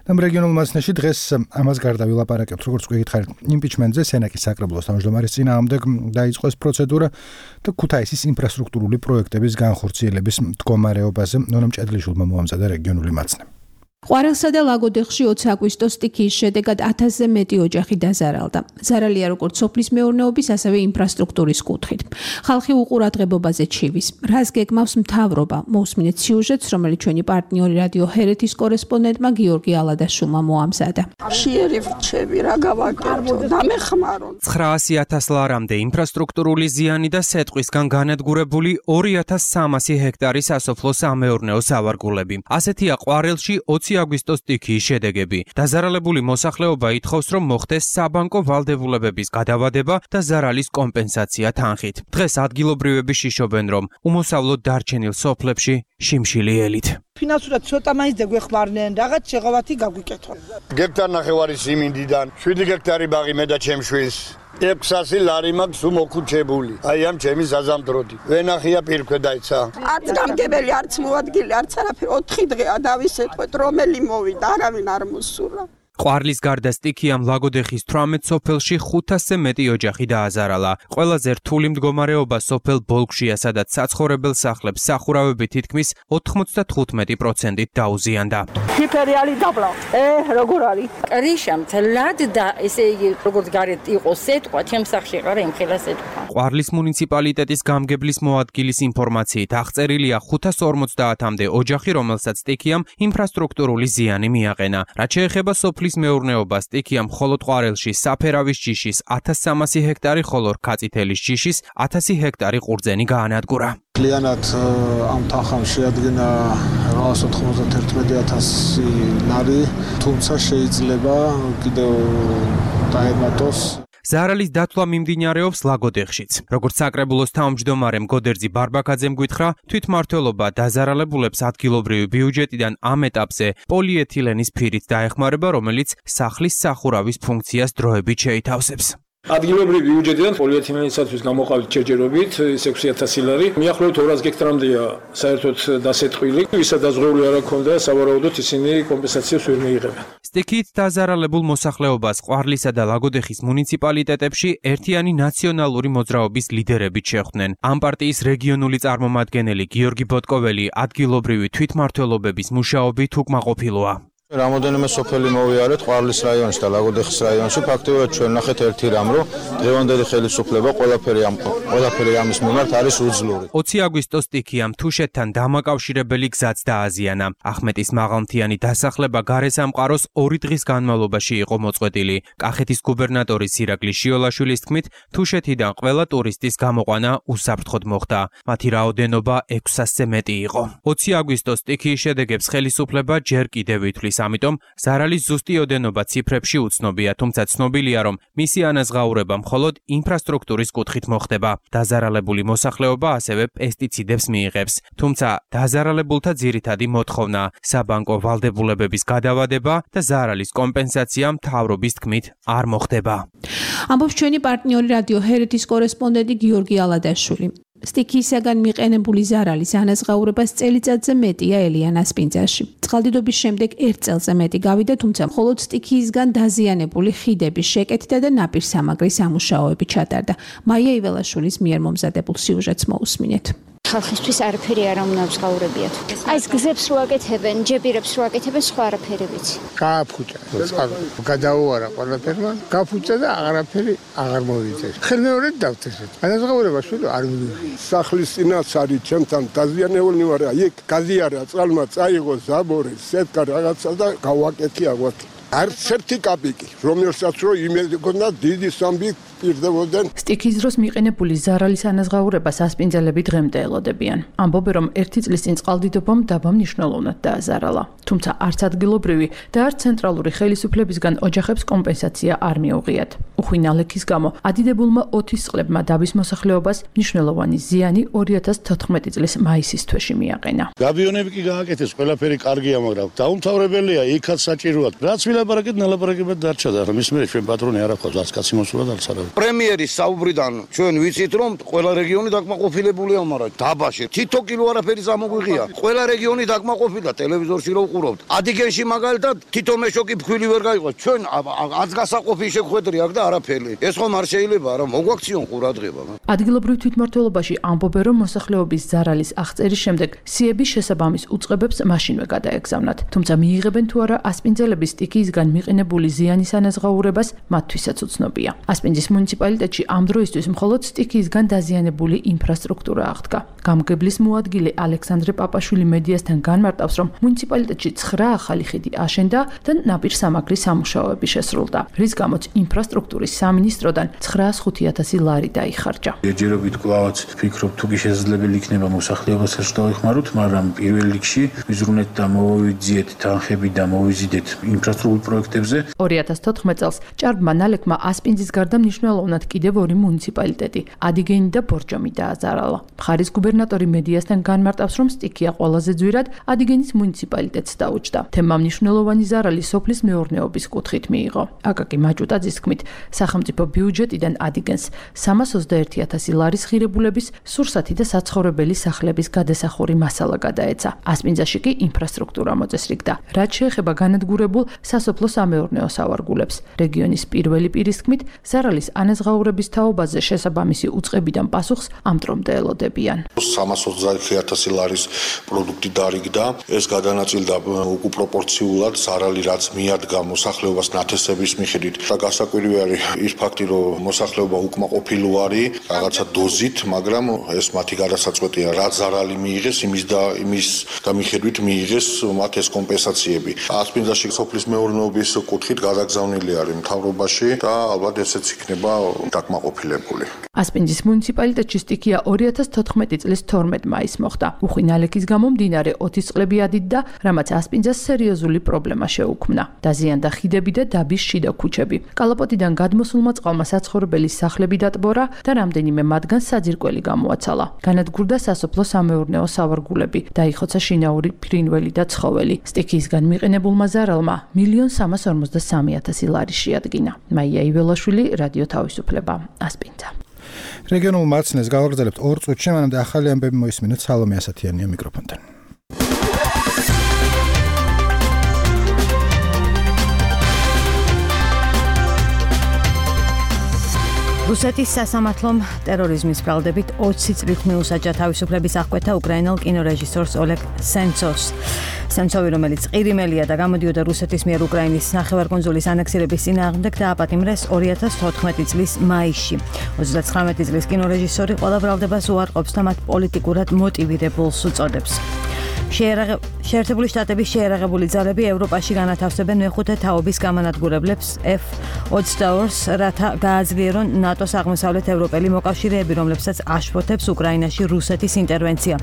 და რეგიონულ მასშტაბში დღეს ამას გარდა ვილაპარაკებთ, როგორც გითხარით, იმპიჩმენტზე სენაკის საკრებულოს თავმჯდომარის წინააღმდეგ დაიწყო ეს პროცედურა და ქუთაისის ინფრასტრუქტურული პროექტების განხორციელების მდგომარეობაზე ნონა მჭედლიშვილმა მოამზადა რეგიონული მაცნე. ყვარელსა და ლაგოდეხში 20 აგვისტოს სტიქიის შედეგად 1000-ზე მეტი ოჯახი დაზარალდა. ზარალია როგორც სოფლის მეურნეობის, ასევე ინფრასტრუქტურის კუთხით. ხალხი უყურადღებობაზე ჩივის. რას გეგმავს მთავრობა? მოусმინეთ სიუჟეტს, რომელიც ჩვენი პარტნიორი რადიო ჰერეთის კორესპონდენტმა გიორგი ალადაშვილმა მოამზადა. შეერი ვრჩები, რა გავაკეთო, დამეხმარონ. 900,000 ლარამდე ინფრასტრუქტურული ზიანი და სეტყვისგან განადგურებული 2300 ჰექტარი სასოფლო-სამეურნეო სავარგულები. ასეთია ყვარელში 20 აგვისტოს სტიქიის შედეგები. დაზარალებული მოსახლეობა ითხოვს, რომ მოხდეს საბანკო ვალდებულებების გადავადება და ზარალის კომპენსაცია თანხით. დღეს ადგილობრივები შიშობენ, რომ უმოსავლოდ დარჩენილ სოფლებში შიმშილი ელით. ფინანსურად ცოტა მაინც დაგვეხმარნენ, რაღაც შეღავათი გაგვიკეთონ. გექტარ ნახევარი სიმინდიდან 7 გექტარი ბაღი მე და ჩემშვილს 600 ლარი მაქვს უმოქუჩებული. აი ამ ჩემი ზაზამდროდი. ვენახია პირქვედაიცა. არც გამგებელი, არც მოადგილი, არც არაფერი. 4 დღეა დავისეთყვეთ, რომელი მოვიდა, არავინ არ მოსურა. ყვარლის გარდა სტიქიამ ლაგოდეხის 18 სოფელში 500-ზე მეტი ოჯახი დააზარალა. ყველაზე რთული მდგომარეობა სოფელ ბოლგშია, სადაც საცხოვრებელ სახლებს სახურავები თითქმის 95%-ით დაუზიანდა. ჰიპერიალი დაბლა. როგორ არის? კრიშა მთლად და ესე იგი როგორც გარეთ იყო სეტყვა, ჩემს სახლში ყარა იმხელა სეტყვა. ყვარლის მუნიციპალიტეტის გამგებლის მოადგილის ინფორმაციით აღწერილია 550-მდე ოჯახი, რომელსაც სტიქიამ ინფრასტრუქტურული ზიანი მიაყენა. რაც შეეხება სოფლის მეურნეობას, სტიქიამ მხოლოდ ყვარელში საფერავის ჯიშის 1300 ჰექტარი, ხოლო რქაწითელის ჯიშის 1000 ჰექტარი ყურძენი გაანადგურა. Klienat am თანხამ შეადგენა 91,000 ლარი, თუმცა შეიძლება კიდევ დაემატოს. ზარალის დათვლა მიმდინარეობს ლაგოდეხშიც. როგორც საკრებულოს თავმჯდომარემ გოდერძი ბარბაკაძემ გითხრა, თვითმმართველობა დაზარალებულებს ადგილობრივი ბიუჯეტიდან ამ ეტაპზე პოლიეთილენის ფირით დაეხმარება, რომელიც სახლის სახურავის ფუნქციას დროებით შეითავსებს. ადგილობრივი ბიუჯეტიდან პოლიეთილენისათვის გამოყავით ჯერჯერობით 6000 ლარი. მიახლოებით 200 გექტარამდეა საერთოდ დასეტყვილი. ვისაც დაზღვეული არ აქვს, სავარაუდოდ ისინი კომპენსაციას ვერ მიიღებენ. სტიქით დაზარალებულ მოსახლეობას ყვარლისა და ლაგოდეხის მუნიციპალიტეტებში ერთიანი ნაციონალური მოძრაობის ლიდერებით შეხვდნენ. ამ პარტიის რეგიონული წარმომადგენელი გიორგი ბოტკოველი ადგილობრივი თვითმმართველობების მუშაობით უკმაყოფილოა. რამოდენიმე სოფელი მოვიარეთ ყვარლის რაიონში და ლაგოდეხის რაიონში. ფაქტიურად ჩვენ ნახეთ ერთი რამ, რომ დღევანდელი ხელისუფლება ყველაფერი ამის მიმართ არის უძლური. 20 აგვისტოს სტიქიამ თუშეთთან დამაკავშირებელი გზაც დააზიანა. ახმეტის მაღალმთიანი დასახლება გარესამყაროს 2 დღის განმავლობაში იყო მოწყვეტილი. კახეთის გუბერნატორის ირაკლი შიოლაშვილის თქმით, თუშეთიდან ყველა ტურისტის გამოყვანა უსაფრთხოდ მოხდა. მათი რაოდენობა 600-ზე მეტი იყო. 20 აგვისტოს სტიქიის შედეგებს ხელისუფლება ჯერ კიდევ ითვლის. ამიტომ ზარალის ზუსტი ოდენობა ციფრებში უცნობია, თუმცა ცნობილია, რომ მისი ანაზღაურება მხოლოდ ინფრასტრუქტურის კუთხით მოხდება. დაზარალებული მოსახლეობა ასევე პესტიციდებს მიიღებს. თუმცა დაზარალებულთა ძირითადი მოთხოვნა საბანკო ვალდებულებების გადავადება და ზარალის კომპენსაცია მთავრობის თქმით არ მოხდება. ამბობს ჩვენი პარტნიორი რადიო ჰერეთის კორესპონდენტი გიორგი ალადაშვილი. სტიქიისაგან მიყენებული ზარალის ანაზღაურებას წელიწადზე მეტია ელიანას პინძაში. წყალდიდობის შემდეგ 1 წელზე მეტი გავიდა, თუმცა მხოლოდ სტიქიისგან დაზიანებული ხიდების შეკეთდა და ნაპირსამაგრის სამუშაოები ჩატარდა. მაია იველაშვილის მიერ მომზადებულ სიუჟეტს მოусმინეთ. ხალხისთვის არაფერი არ უნდა მსგაურებიათ. აი ეს გზებს რო აკეთებენ, ჯებირებს რო აკეთებენ, სხვა არაფერი ვიცი. გააფუჭა, გადაუარა ყველაფერმა, გაფუჭა და აღარაფერი აღარ მოვიდეს. ხელმეორედ დავთესეთ. ანაზღაურება შვილო არ მივიღე. სახლის წინაც არის ჩემთან დაზიანებული ვარ, იქ გაზიარა წყალმა წაიღო ზაბორი, სეტკა რაღაცა და გავაკეთე აღვაკე. არც ერთი კაპიკი, რომელსაც რო იმედი გქონდა დიდი სამბი პირდებოდნენ. სტიქიის დროს მიყენებული ზარალის ანაზღაურებას ასპინძელები დღემდე ელოდებიან. ამბობენ, რომ 1 წლის წინ წყალდიდობამ დაბა მნიშვნელოვნად დააზარალა. თუმცა არც ადგილობრივი და არც ცენტრალური ხელისუფლებისგან ოჯახებს კომპენსაცია არ მიუღიათ. უხვი ნალექის გამო ადიდებულმა ოთის წყლებმა დაბის მოსახლეობას მნიშვნელოვანი ზიანი 2014 წლის მაისის თვეში მიაყენა. გაბიონები კი გააკეთეს, ყველაფერი კარგია, მაგრამ დაუმთავრებელია, იქაც საჭიროა. რაც ვილაპარაკეთ, ნალაპარაკებად დარჩა და მის მერე ჩვენ პატრონი არ აქვს, რაც კაცი მოსულა და არც პრემიერის საუბრიდან ჩვენ ვიცით, რომ ყველა რეგიონი დაკმაყოფილებულია, მაგრამ დაბაში თითო კილო არაფერი გამოგვიღია. ყველა რეგიონი დაკმაყოფილდა, ტელევიზორში რო ვყურავთ. ადიგენში მაგალითად თითო მეშოკი ფქვილი ვერ გაიყვა. ჩვენ აცგასაყოფი შეხვედრი აქ და არაფერი. ეს ხომ არ შეიძლება, არა მოგვაქციონ ყურადღება. ადგილობრივ თვითმმართველობაში ამბობენ, რომ მოსახლეობის ზარალის აღწერის შემდეგ სიების შესაბამის უწყებებს მაშინვე გადაეგზავნათ. თუმცა მიიღებენ თუ არა ასპინძელების სტიქიისგან მიყენებული ზიანის ანაზღაურებას, მათთვისაც უცნობია. ასპინძის მუნიციპალიტეტში ამ დროისთვის მხოლოდ სტიქიისგან დაზიანებული ინფრასტრუქტურა აღდგა. გამგებლის მოადგილე ალექსანდრე პაპაშვილი მედიასთან განმარტავს, რომ მუნიციპალიტეტში 9 ახალი ხიდი აშენდა და ნაპირსამაგრის სამუშაოები შესრულდა, რის გამოც ინფრასტრუქტურის სამინისტროდან 905,000 ლარი დაიხარჯა. ჯერჯერობით კვლავაც ვფიქრობ, თუ კი შესაძლებელი იქნება მოსახლეობასაც დავეხმაროთ, მაგრამ პირველ რიგში ვიზრუნეთ და მოვიძიეთ თანხები და მოვიზიდეთ ინფრასტრუქტურულ პროექტებზე. 2014 წელს ჭარბმა ნალექმა ასპინძის გარდა მნიშვნელოვნად კიდევ 2 მუნიციპალიტეტი, ადიგენი და ბორჯომი დააზარალა. მხარის გუბერნატორი მედიასთან განმარტავს, რომ სტიქია ყველაზე ძვირად ადიგენის მუნიციპალიტეტს დაუჯდა. თემმა მნიშვნელოვანი ზარალი სოფლის მეურნეობის კუთხით მიიღო. აკაკი მაჭუტაძის თქმით, სახელმწიფო ბიუჯეტიდან ადიგენს 321,000 ლარის ღირებულების სურსათი და საცხოვრებელი სახლების გადასახური მასალა გადაეცა. ასპინძაში კი ინფრასტრუქტურა მოწესრიგდა. რაც შეეხება განადგურებულ სასოფლო-სამეურნეო სავარგულებს, რეგიონის პირველი პირის თქმით, ზარალის ანაზღაურების თაობაზე შესაბამისი უწყებიდან პასუხს ამ დრომდე ელოდებიან. 320,000 ლარის პროდუქტი დარიგდა. ეს გადანაწილდა უკუპროპორციულად ზარალი, რაც მიადგა მოსახლეობას ნათესების მიხედვით. და გასაკვირი არის ის ფაქტი, რომ მოსახლეობა უკმაყოფილო არის რაღაცა დოზით, მაგრამ ეს მათი გადასაწყვეტია, რა ზარალი მიიღეს, იმის და მიხედვით მიიღეს მათ ეს კომპენსაციები. ასპინძაში სოფლის მეურნეობის კუთხით გადაგზავნილი არის მთავრობაში და ალბათ ესეც იქნება იქნება დაკმაყოფილებული. ასპინძის მუნიციპალიტეტში სტიქია 2014 წლის 12 მაისს მოხდა. უხვი ნალექის გამო მდინარე 20 წლები ადიდდა, რამაც ასპინძას სერიოზული პრობლემა შეუქმნა. დაზიანდა ხიდები და დაბის შიდა ქუჩები. კალაპოტიდან გადმოსულმა წყალმა საცხოვრებელი სახლები დატბორა და რამდენიმე მათგან საძირკველი გამოაცალა. განადგურდა სასოფლო-სამეურნეო სავარგულები, დაიხოცა შინაური ფრინველი და ცხოველი. სტიქიისგან მიყენებულმა ზარალმა 1,343,000 ლარი შეადგინა. მაია იველაშვილი, რადიო თავისუფლება, ასპინძა. რეგიონულ მაცნეს გავაგრძელებთ 2 წუთში, მანამდე ახალი ამბები მოისმინეთ სალომე ასათიანია მიკროფონთან. რუსეთის სასამართლომ ტერორიზმის ბრალდებით 20 წლით მიუსაჯა თავისუფლების აღკვეთა უკრაინელ კინორეჟისორს ოლეგ სენცოვს. სენცოვი, რომელიც ყირიმელია და გამოდიოდა რუსეთის მიერ უკრაინის ნახევარკუნძულის ანექსირების წინააღმდეგ, დააპატიმრეს 2014 წლის მაისში. 39 წლის კინორეჟისორი ყველა ბრალდებას უარყოფს და მათ პოლიტიკურად მოტივირებულს უწოდებს. შეერთებული შტატების შეერაღებული ძალები ევროპაში განათავსებენ მეხუთე თაობის გამანადგურებლებს F-22-ს, რათა გააძლიერონ ნატოს აღმოსავლეთ ევროპელი მოკავშირეები, რომლებსაც აშფოთებს უკრაინაში რუსეთის ინტერვენცია.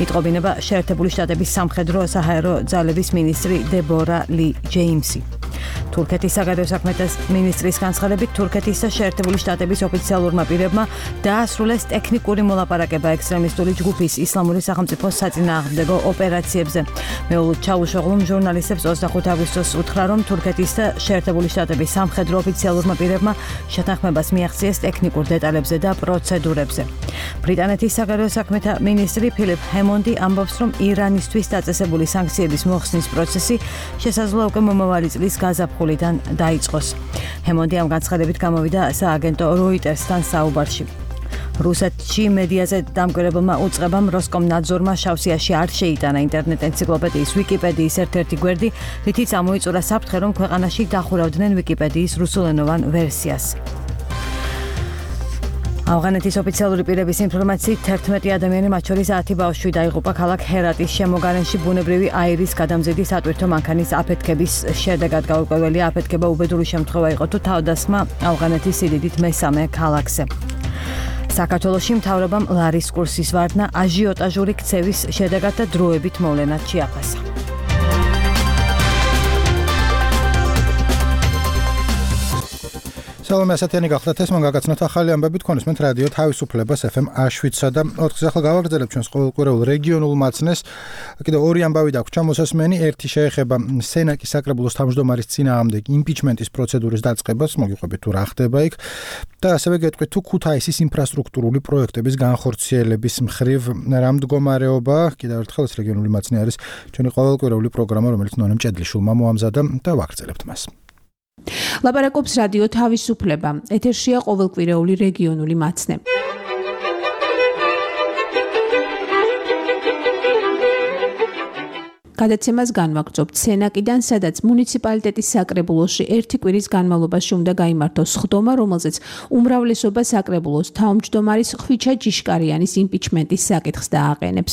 იტყობინება შეერთებული შტატების სამხედრო საჰაერო ძალების მინისტრი დებორა ლი ჯეიმსი. თურქეთის საგარეო საქმეთა მინისტრის განცხადებით, თურქეთის და შეერთებული შტატების ოფიციალურმა პირებმა დაასრულეს ტექნიკური მოლაპარაკება ექსტრემისტული ჯგუფის ისლამური სახელმწიფოს საწინააღმდეგო ოპერაციებზე. მეულოდ ჩაუშოღლუმ ჟურნალისტებს 25 აგვისტოს უთხრა, რომ თურქეთის და შეერთებული შტატების სამხედრო ოფიციალურმა პირებმა შეთანხმებას მიაღწიეს ტექნიკურ დეტალებზე და პროცედურებზე. ბრიტანეთის საგარეო საქმეთა მინისტრი ფილიპ ჰემონდი ამბობს, რომ ირანისთვის დაწესებული სანქციების მოხსნის პროცესი შესაძლოა უკვე მომავალი წლის გაზაფხულიდან დაიწყოს. ჰემონდი ამ განცხადებით გამოვიდა სააგენტო როიტერსთან საუბარში. რუსეთში მედიაზე დამკვირვებელმა უწყებამ როსკომნაძორმა შავსიაში არ შეიტანა ინტერნეტ ენციკლოპედიის ვიკიპედიის ერთ-ერთი გვერდი, რითიც ამოიწურა საფრთხე, რომ ქვეყანაში დახურავდნენ ვიკიპედიის რუსულენოვან ვერსიას. ავღანეთის ოფიციალური პირების ინფორმაციით 11 ადამიანი, მათ შორის 10 ბავშვი დაიღუპა ქალაქ ჰერატის შემოგარენში ბუნებრივი აირის გადამზიდის ატვირთო მანქანის აფეთქების შედეგად. გაურკვეველი აფეთქება უბედური შემთხვევა იყო, თუ თავდასხმა ავღანეთის სიდიდით მესამე ქალაქზე. საქართველოში მთავრობამ ლარის კურსის ვარდნა აჟიოტაჟური ქცევის შედეგად და დროებით მოვლენად შეაფასა. სალომე ასათიანი გახლდათ ეს მოგაგაცნოთ ახალი ამბები თქვენისმენთ რადიო თავისუფლებას FM Აშვიცსა და 4-ს ახლა გავაგრძელებთ ჩვენს ყოველკვირეულ რეგიონულ მაცნეს. კიდევ 2 ამბავი დაგვჭა მოსასმენი. ერთი შეეხება სენაკის საკრებულოს თავმჯდომარის წინააღმდეგ იმპიჩმენტის პროცედურის დაწყებას, მოგიყვებით თუ რა ხდება იქ. და ასევე გეტყვით თუ ქუთაისის ინფრასტრუქტურული პროექტების განხორციელების მხრივ რა მდგომარეობა. კიდევ ერთხელ ეს რეგიონული მაცნე არის ჩვენი ყოველკვირეული პროგრამა, რომელიც ნონა მჭედლიშვილმა მოამზადა და ვაგრძელებთ მას. ლაპარაკობს რადიო თავისუფლება. ეთერშია ყოველკვირეული რეგიონული მაცნე. გადაცემას განვაგრძობთ სენაკიდან, სადაც მუნიციპალიტეტის საკრებულოში ერთი კვირის განმავლობაში უნდა გაიმართოს სხდომა, რომელზეც უმრავლესობა საკრებულოს თავმჯდომარის ხვიჩა ჯიშკარიანის იმპიჩმენტის საკითხს დააყენებს.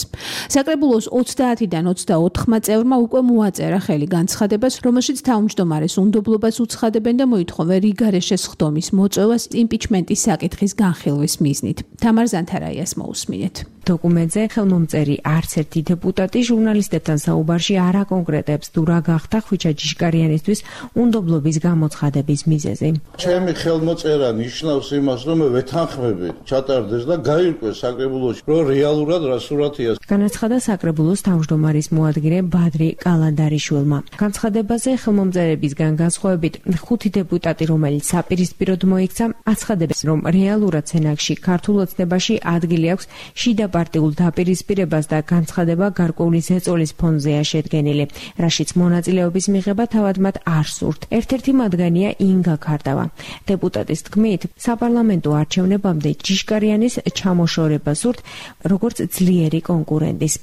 საკრებულოს 30-დან 24 წევრმა უკვე მოაწერა ხელი განცხადებას, რომელშიც თავმჯდომარეს უნდობლობას უცხადებენ და მოითხოვენ რიგარეშე სხდომის მოწვევას იმპიჩმენტის საკითხის განხილვის მიზნით. თამარ ზანთარაიას მოусმინეთ. დოკუმენტზე ხელმომწერი არც ერთი დეპუტატი ჟურნალისტებთან საუბარში არ აკონკრეტებს თუ რა გახდა ხვიჩა ჯიშკარიანისთვის უნდობლობის გამოცხადების მიზეზი. ჩემი ხელმოწერა ნიშნავს იმას, რომ ვეთანხმები ჩატარდეს და გაირკვეს საკრებულოში, რომ რეალურად რა სურათია. განაცხადა საკრებულოს თავმჯდომარის მოადგილე ბადრი კალანდარიშვილმა. განცხადებაზე ხელმომწერებისგან განსხვავებით 5 დეპუტატი, რომელიც საპირისპიროდ მოიქცა, აცხადებს, რომ რეალურად სენაკში ქართულ ოცნებაში ადგილი აქვს შიდა პარტიულ დაპირისპირებას და განცხადება გარკვეული ზეწოლის ფონზეა შედგენილი, რაშიც მონაწილეობის მიღება თავად მათ არ სურთ. ერთ-ერთი მათგანია ინგა ქარდავა. დეპუტატის თქმით, საპარლამენტო არჩევნებამდე ჯიშკარიანის ჩამოშორება სურთ, როგორც ძლიერი კონკურენტის.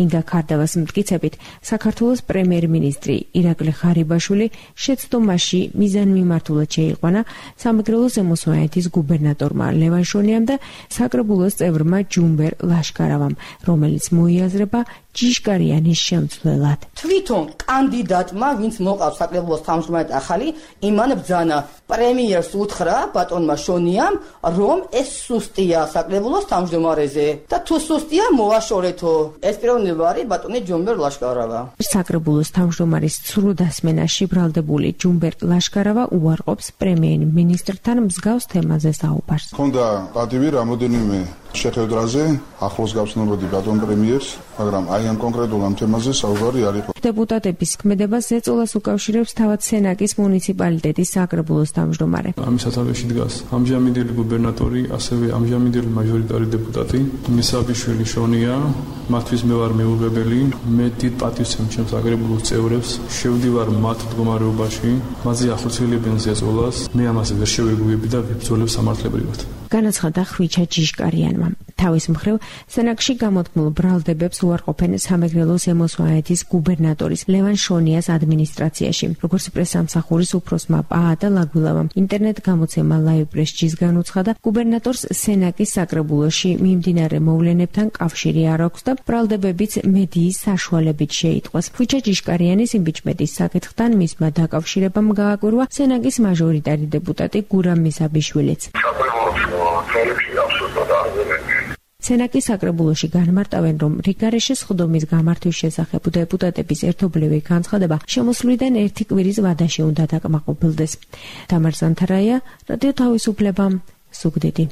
ინგა ქარდავას მტკიცებით, საქართველოს პრემიერ-მინისტრი ირაკლი ხარიბაშვილი შეცდომაში მიზანმიმართულად შეიყვანა სამეგრელო ზემოსვანეთის გუბერნატორმა ლევან შონიამ და საკრებულოს წევრმა ჯუმბერ ლაშკარავამ, რომელიც მოიაზრება ჯიშკარიანის შემცვლელს. მსვლელად. თვითონ კანდიდატმა, ვინც მოყავს საკრებულოს თავმჯდომარედ ახალი, იმან ბრძანა პრემიერს უთხრა ბატონმა შონიამ, რომ ეს სუსტია საკრებულოს თავმჯდომარეზე და თუ სუსტია მოვაშორეთო. ეს პიროვნება არის ბატონი ჯუმბერ ლაშკარავა. საკრებულოს თავმჯდომარის ცრუდასმენაში ბრალდებული ჯუმბერ ლაშკარავა უარყოფს პრემიერ მინისტრთან მსგავს თემაზე საუბარს. ხონდა პატივი რამოდენიმე შეხვედრაზე ახლოს გავცნობოდი ბატონ პრემიერს, მაგრამ აი ამ კონკრეტულ ამ თემაზე საუბარი არ იყო. დეპუტატების ქმედებას ზეწოლას უკავშირებს თავად სენაკის მუნიციპალიტეტის საკრებულოს თავმჯდომარე. ამის სათავეში დგას ამჟამინდელი გუბერნატორი, ასევე ამჟამინდელი მაჟორიტარი დეპუტატი მისაბიშვილი შონია, მათთვის მე ვარ მეუღებელი, მე დიდ პატივს ვცემ საკრებულოს წევრებს, შევდივარ მათ მდგომარეობაში, მათზე ახორციელებენ ზეწოლას, მე ამაზე ვერ შევეგუები და ვიბრძოლებ სამართლებრივად. განაცხადა ხვიჩა ჯიშკარიანმა. თავის მხრივ, სენაკში გამოთქმულ ბრალდებებს უარყოფენ სამეგრელო ზემო სვანეთის გუბერნატორის ლევან შონიას ადმინისტრაციაში. როგორც პრესამსახურის უფროსმა პაატა ლაგვილავამ ინტერნეტ გამოცემა ლაივ პრესჯის განუცხადა, გუბერნატორს სენაკის საკრებულოში მიმდინარე მოვლენებთან კავშირი არ აქვს და ბრალდებებიც მედიის საშუალებით შეიტყვეს. ხვიჩა ჯიშკარიანის იმპიჩმენტის საკითხთან მისმა დაკავშირებამ გააკვირვა სენაკის მაჟორიტარი დეპუტატი გურამ მისაბიშვილიც. სენაკის საკრებულოში განმარტავენ, რომ რიგარეშე სხდომის გამართვის შესახებ დეპუტატების ერთობლივი განცხადება შემოსვლიდან ერთი კვირის ვადაში უნდა დაკმაყოფილდეს. თამარ ზანთარაია, რადიო თავისუფლება, ზუგდიდი.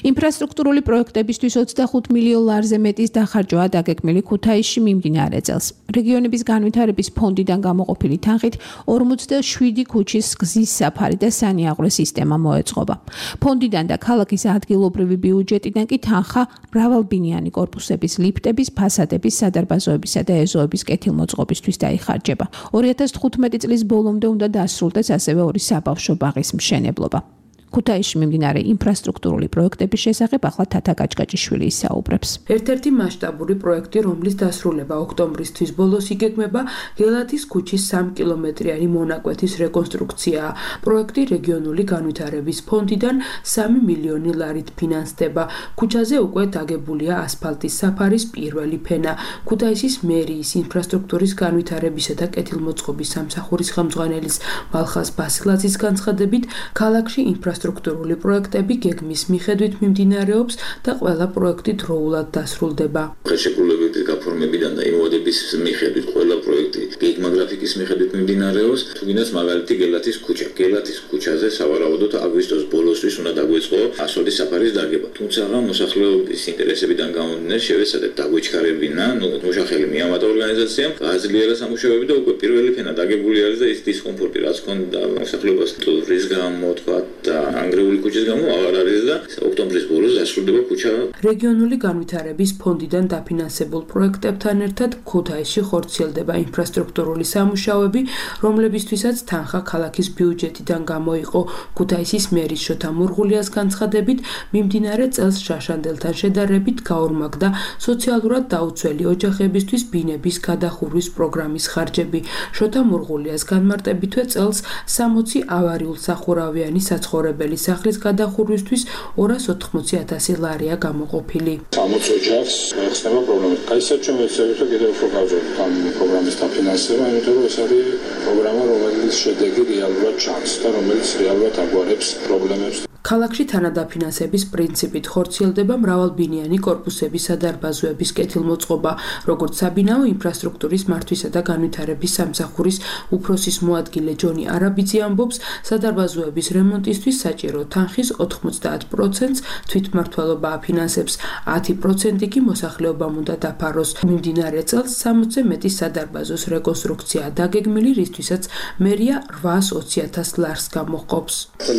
ინფრასტრუქტურული პროექტებისთვის 25 მილიონ ლარზე მეტის დახარჯვაა დაგეგმილი ქუთაისში მიმდინარე წელს. რეგიონების განვითარების ფონდიდან გამოყოფილი თანხით 47 ქუჩის გზის საფარი და სანიაღვრე სისტემა მოეწყობა. ფონდიდან და ქალაქის ადგილობრივი ბიუჯეტიდან კი თანხა მრავალბინიანი კორპუსების, ლიფტების, ფასადების, სადარბაზოებისა და ეზოების კეთილმოწყობისთვის დაიხარჯება. 2015 წლის ბოლომდე უნდა დასრულდეს ასევე ორი საბავშვო ბაღის მშენებლობა. ქუთაისში მიმდინარე ინფრასტრუქტურული პროექტების შესახებ ახლა თათა გაჭგაჭიშვილი ისაუბრებს. ერთ-ერთი მასშტაბური პროექტი, რომლის დასრულება ოქტომბრის ბოლოს იგეგმება, გელათის ქუჩის 3 კილომეტრიანი მონაკვეთის რეკონსტრუქციაა. პროექტი რეგიონული განვითარების ფონდიდან 3 მილიონი ლარით ფინანსდება. ქუჩაზე უკვე დაგებულია ასფალტის საფარის პირველი ფენა. ქუთაისის მერიის ინფრასტრუქტურის განვითარებისა და კეთილმოწყობის სამსახურის ხელმძღვანელის მალხაზ ბასილაძის განცხადებით, ქალაქში ინფრასტრუქტურული პროექტები გეგმის მიხედვით მიმდინარეობს და ყველა პროექტი დროულად დასრულდება. ხელშეკრულებების გაფორმებიდან და იმოდების მიხედვით ყველა პროექტი გეგმაგრაფიკის მიხედვით მიმდინარეობს. თუ გინდათ მაგალითი გელათის ქუჩა. გელათის ქუჩაზე სავარაუდოდ აგვისტოს ბოლოსთვის უნდა დაგვეწყო ასფალტის საფარის დაგება. თუმცა მოსახლეობის ინტერესებიდან გამომდინარე შევეცადეთ დაგვეჩქარებინა, მუშახელი მიამატა ორგანიზაციამ, გააძლიერა სამუშაოები და უკვე პირველი ფენა დაგებული არის და ის დისკომფორტი რაც ქონდა მოსახლეობას ტურის გამო თქვა და ანგრეული ქუჩის გამო აღარ არის და ოქტომბრის ბოლოს დასრულდება ქუჩა. რეგიონული განვითარების ფონდიდან დაფინანსებულ პროექტებთან ერთად ქუთაისში ხორციელდება ინფრასტრუქტურული სამუშაოები, რომლებისთვისაც თანხა ქალაქის ბიუჯეტიდან გამოიყო. ქუთაისის მერის შოთა მურღულიას განცხადებით, მიმდინარე წელს შაშანდელთან შედარებით გაორმაგდა სოციალურად დაუცველი ოჯახებისთვის ბინების გადახურვის პროგრამის ხარჯები. შოთა მურღულიას განმარტებითვე წელს 60 ავარიულ-სახურავიანი საცხოვრებელი სახლის გადახურვისთვის 280,000 ლარია გამოყოფილი. 60 ოჯახს ხსნება პრობლემა. კაისად ჩვენ ვეცდებით კიდევ უფრო გავზრდოთ ამ პროგრამის დაფინანსება, იმიტომ რომ ეს არის პროგრამა, რომელიც შედეგი რეალურად ჩანს და რომელიც რეალურად აგვარებს პრობლემებს. ქალაქში თანადაფინანსების პრინციპით ხორციელდება მრავალბინიანი კორპუსების სადარბაზოების კეთილმოწყობა, როგორც საბინაო ინფრასტრუქტურის მართვისა და განვითარების სამსახურის უფროსის მოადგილე ჯონი არაბიძე ამბობს, სადარბაზოების რემონტისთვის საჭირო თანხის 90%-ს თვითმმართველობა აფინანსებს, 10% კი მოსახლეობამ უნდა დაფაროს. მიმდინარე წელს 60-ზე მეტი სადარბაზოს რეკონსტრუქცია დაგეგმილი, რისთვისაც მერია 820,000 ლარს გამოჰყოფს.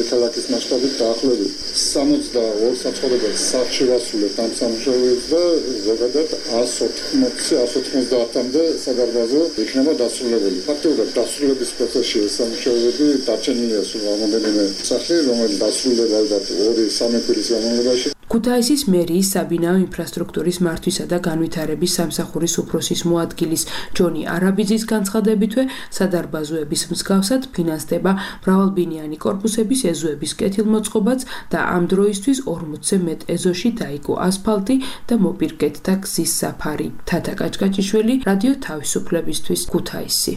ქალაქის მასშტაბით დაახლოებით 62 საცხოვრებელ სახლში ვასრულებთ ამ სამუშაოებს და ზოგადად 180-190-მდე სადარბაზო იქნება დასრულებული. ფაქტობრივად დასრულების პროცესში ეს სამუშაოები დარჩენილია სულ რამოდენიმე სახლი, რომელიც დასრულდება ალბათ 2-3 კვირის განმავლობაში. ქუთაისის მერიის საბინაო ინფრასტრუქტურის მართვისა და განვითარების სამსახურის უფროსის მოადგილის ჯონი არაბიძის განცხადებითვე სადარბაზოების მსგავსად ფინანსდება მრავალბინიანი კორპუსების ეზოების კეთილმოწყობაც და ამ დროისთვის 40-ზე მეტ ეზოში დაიგო ასფალტი და მოპირკეთდა გზის საფარი. თათა კაჭკაჭიშვილი, რადიო თავისუფლებისთვის, ქუთაისი.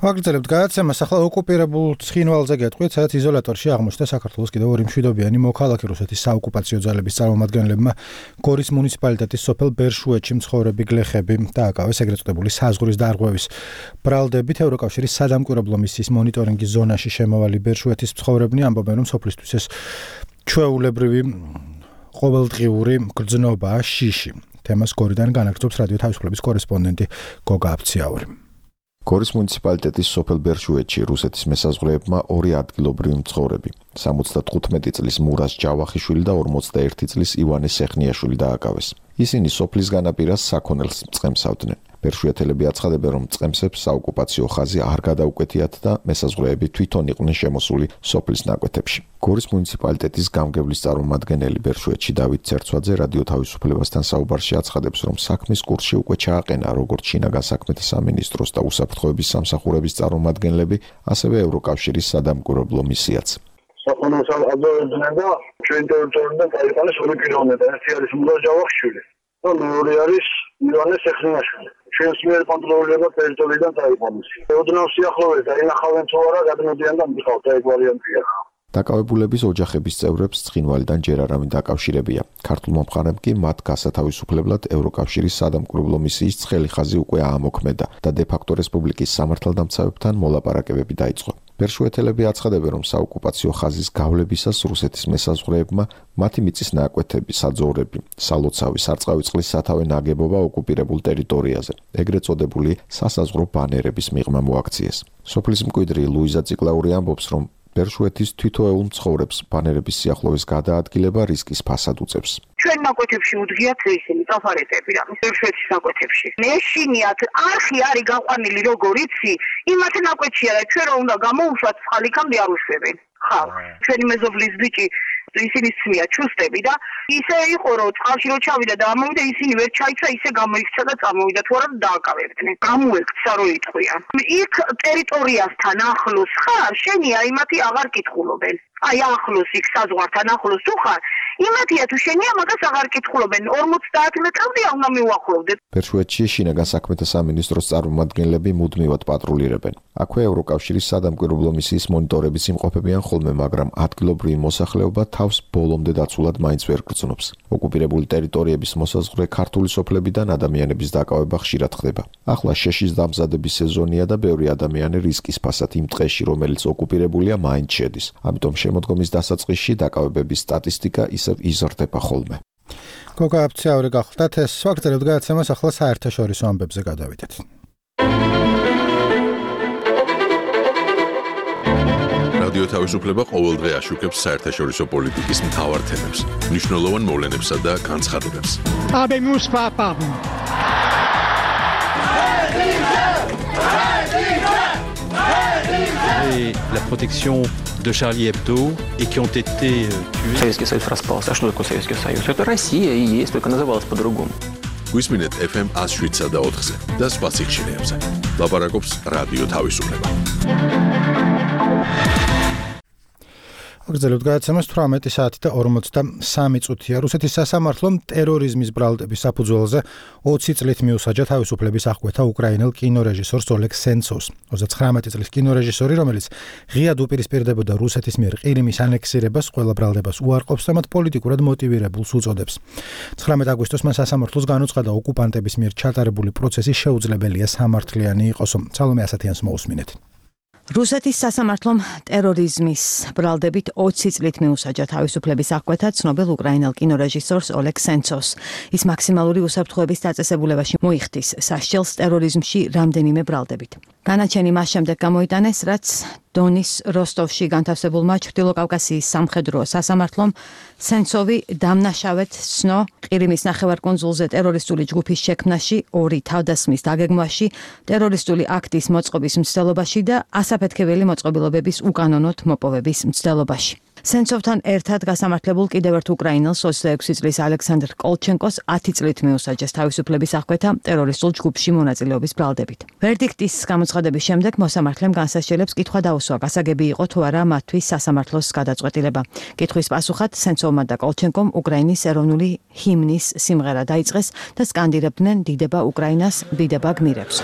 ვაგრძელებთ გადაცემას. ახლა ოკუპირებულ ცხინვალზე გეტყვით, სადაც იზოლატორში აღმოჩნდა საქართველოს კიდევ ორი მშვიდობიანი მოქალაქე რუსეთის საოკუპაციო ძალების წარმომადგენლებმა გორის მუნიციპალიტეტის სოფელ ბერშუეთში მცხოვრები გლეხები დააკავეს ეგრეთ წოდებული საზღვრის დარღვევის ბრალდებით. ევროკავშირის სადამკვირვებლო მისიის მონიტორინგის ზონაში შემავალი ბერშუეთის მცხოვრებნი ამბობენ, რომ სოფლისთვის ეს ჩვეულებრივი ყოველდღიური გრძნობაა შიში. თემას გორიდან განაგრძობს რადიო თავისუფლების კორესპონდენტი გოგა აფციაური. გორის მუნიციპალიტეტის სოფელ ბერშუეთში რუსეთის მესაზღვრეებმა ორი ადგილობრივი მცხოვრები 75 წლის მურას ჯავახიშვილი და 41 წლის ივანე სეხნიაშვილი დააკავეს. ისინი სოფლის განაპირას საქონელს მწყემსავდნენ. ბერშუეთელები აცხადებენ, რომ მწყემსებს საოკუპაციო ხაზი არ გადაუკვეთიათ და მესაზღვრეები თვითონ იყვნენ შემოსული სოფლის ნაკვეთებში. გორის მუნიციპალიტეტის გამგებლის წარმომადგენელი ბერშუეთში დავით ცერცვაძე რადიო თავისუფლებასთან საუბარში აცხადებს, რომ საქმის კურსში უკვე ჩააყენა როგორც შინაგან საქმეთა სამინისტროს და უსაფრთხოების სამსახურების წარმომადგენლები, ასევე ევროკავშირის სადამკვირვებლო მისიაც. Sakınız adlarında köyün territoriyunda kayıpanı soru kilometre. Siyasi muraj javakşuli. Doğru yarış İvan'ı sekrenaşkuli. Köyün sınır kontrollerinde teritoriyden kayıpanmış. Odunan siyahloveda. İna xalen çovara kadın diyandan bir xalta ekvariyan piya. დაკავებულების ოჯახების წევრებს ცხინვალიდან ჯერ არავინ დაკავშირებია. ქართულმა მხარემ კი მათ გასათავისუფლებლად ევროკავშირის სადამკვირვებლო მისიის ცხელი ხაზი უკვე აამოქმედა და დე-ფაქტო რესპუბლიკის სამართალდამცავებთან მოლაპარაკებები დაიწყო. ბერშუეთელები აცხადებენ, რომ საოკუპაციო ხაზის გავლებისას რუსეთის მესაზღვრეებმა მათი მიწის ნაკვეთები, საძოვრები, სალოცავი, სარწყავი წყლის სათავე ნაგებობა ოკუპირებულ ტერიტორიაზე, ეგრეთ წოდებული სასაზღვრო ბანერების მიღმა მოაქციეს. სოფლის მკვიდრი ლუიზა ციკლაური ამბობს, რომ ბერშუეთის თითოეულ მცხოვრებს ბანერების სიახლოვეს გადაადგილება რისკის ფასად უწევს. ჩვენ ნაკვეთებში უძღიათ ისინი წაფარეტები რამის ბერშუეთის ნაკვეთებში. მეშინიათ არხი არის გაყვანილი როგორ იცი, იმათ ნაკვეთშია და ჩვენ რომ უნდა გამოვუშვათ ხალიქამდე არ უშვებენ. ხალ, ჩვენი მეზობლის ბიჭი ისინი ცნია ჩუსტები და ისე იყო რომ წყალში რო ჩავიდა და ამოვიდა ისინი ვერ ჩაიცა ისე გამოიქცა და წამოვიდა თუ არა დააკავებდნენ. გამოექცა რო იტყვიან. იქ ტერიტორიასთან ახლოს ხარ, შენია იმათი აღარ კითხულობენ. აი ახლოს იქ საზღვართან ახლოს თუ ხარ, იმათია თუ შენია მაგას აღარ კითხულობენ. 50 მეტრამდე უნდა მიუახლოვდეთ. ბერშუეთში შინაგან საქმეთა სამინისტროს წარმომადგენლები მუდმივად პატრულირებენ. აქვე ევროკავშირის სადამკვირვებლო მისიის მონიტორების იმყოფებიან ხოლმე, მაგრამ ადგილობრივი მოსახლეობა თავს ბოლომდე დაცულად მაინც ვერ გრძნობს. ოკუპირებული ტერიტორიების მოსაზღვრე ქართული სოფლებიდან ადამიანების დაკავება ხშირად ხდება. ახლა შეშის დამზადების სეზონია და ბევრი ადამიანი რისკის ფასად იმ ტყეში, რომელიც ოკუპირებულია, მაინც შედის. ამიტომ შემოდგომის დასაწყისში დაკავებების სტატისტიკა ისევ იზრდება ხოლმე. გოგა აფციაური გახლდათ, ეს ვაგრძელებთ გადაცემას, ახლა საერთაშორისო ამბებზე გადავიდეთ. რადიო თავისუფლება ყოველდღე აშუქებს საერთაშორისო პოლიტიკის მთავარ თემებს, მნიშვნელოვან მოვლენებსა და განცხადებებს. La protection de Charlie Hebdo et qui ont été tués. Советский Союз распался. А что такое Советский Союз? Это Россия и есть, только называлась по-другому. Გვისმინეთ FM 107 და 4-ზე და სხვა სიხშირეებზე. ლაპარაკობს რადიო თავისუფლება. ვაგრძელებთ გადაცემას 18 საათი და 43 წუთია. რუსეთის სასამართლომ ტერორიზმის ბრალდების საფუძველზე 20 წლით მიუსაჯა თავისუფლების აღკვეთა უკრაინელ კინორეჟისორს ოლეგ სენცოვს. 39 წლის კინორეჟისორი, რომელიც ღიად უპირისპირდებოდა რუსეთის მიერ ყირიმის ანექსირებას, ყველა ბრალდებას უარყოფს და მათ პოლიტიკურად მოტივირებულს უწოდებს. 19 აგვისტოს მან სასამართლოს განუცხადა ოკუპანტების მიერ ჩატარებული პროცესი შეუძლებელია სამართლიანი იყოსო. სალომე ასათიანს მოусმინეთ. რუსეთის სასამართლომ ტერორიზმის ბრალდებით 20 წლით მიუსაჯა თავისუფლების აღკვეთა ცნობილ უკრაინელ კინორეჟისორს ოლეგ სენცოვს. ის მაქსიმალური უსაფრთხოების დაწესებულებაში მოიხდის სასჯელს ტერორიზმში რამდენიმე ბრალდებით. განაჩენი მას შემდეგ გამოიტანეს, რაც დონის როსტოვში განთავსებულმა ჩრდილოკავკასიის სამხედრო სასამართლომ სენცოვი დამნაშავედ ცნო ყირიმის ნახევარკუნძულზე ტერორისტული ჯგუფის შექმნაში, 2 თავდასხმის დაგეგმვაში, ტერორისტული აქტის მოწყობის მცდელობაში და ასაფეთქებელი მოწყობილობების უკანონოდ მოპოვების მცდელობაში. სენცოვთან ერთად გასამართლებულ კიდევ ერთ უკრაინელს 26 წლის ალექსანდრ კოლჩენკოს 10 წლით მიუსაჯეს თავისუფლების აღკვეთა ტერორისტულ ჯგუფში მონაწილეობის ბრალდებით. ვერდიქტის გამოცხადების შემდეგ მოსამართლემ განსასჯელებს კითხვა დაუსვა, გასაგები იყო თუ არა მათთვის სასამართლოს გადაწყვეტილება. კითხვის პასუხად სენცოვმა და კოლჩენკომ უკრაინის ეროვნული ჰიმნის სიმღერა დაიწყეს და სკანდირებდნენ დიდება უკრაინას, დიდება გმირებს.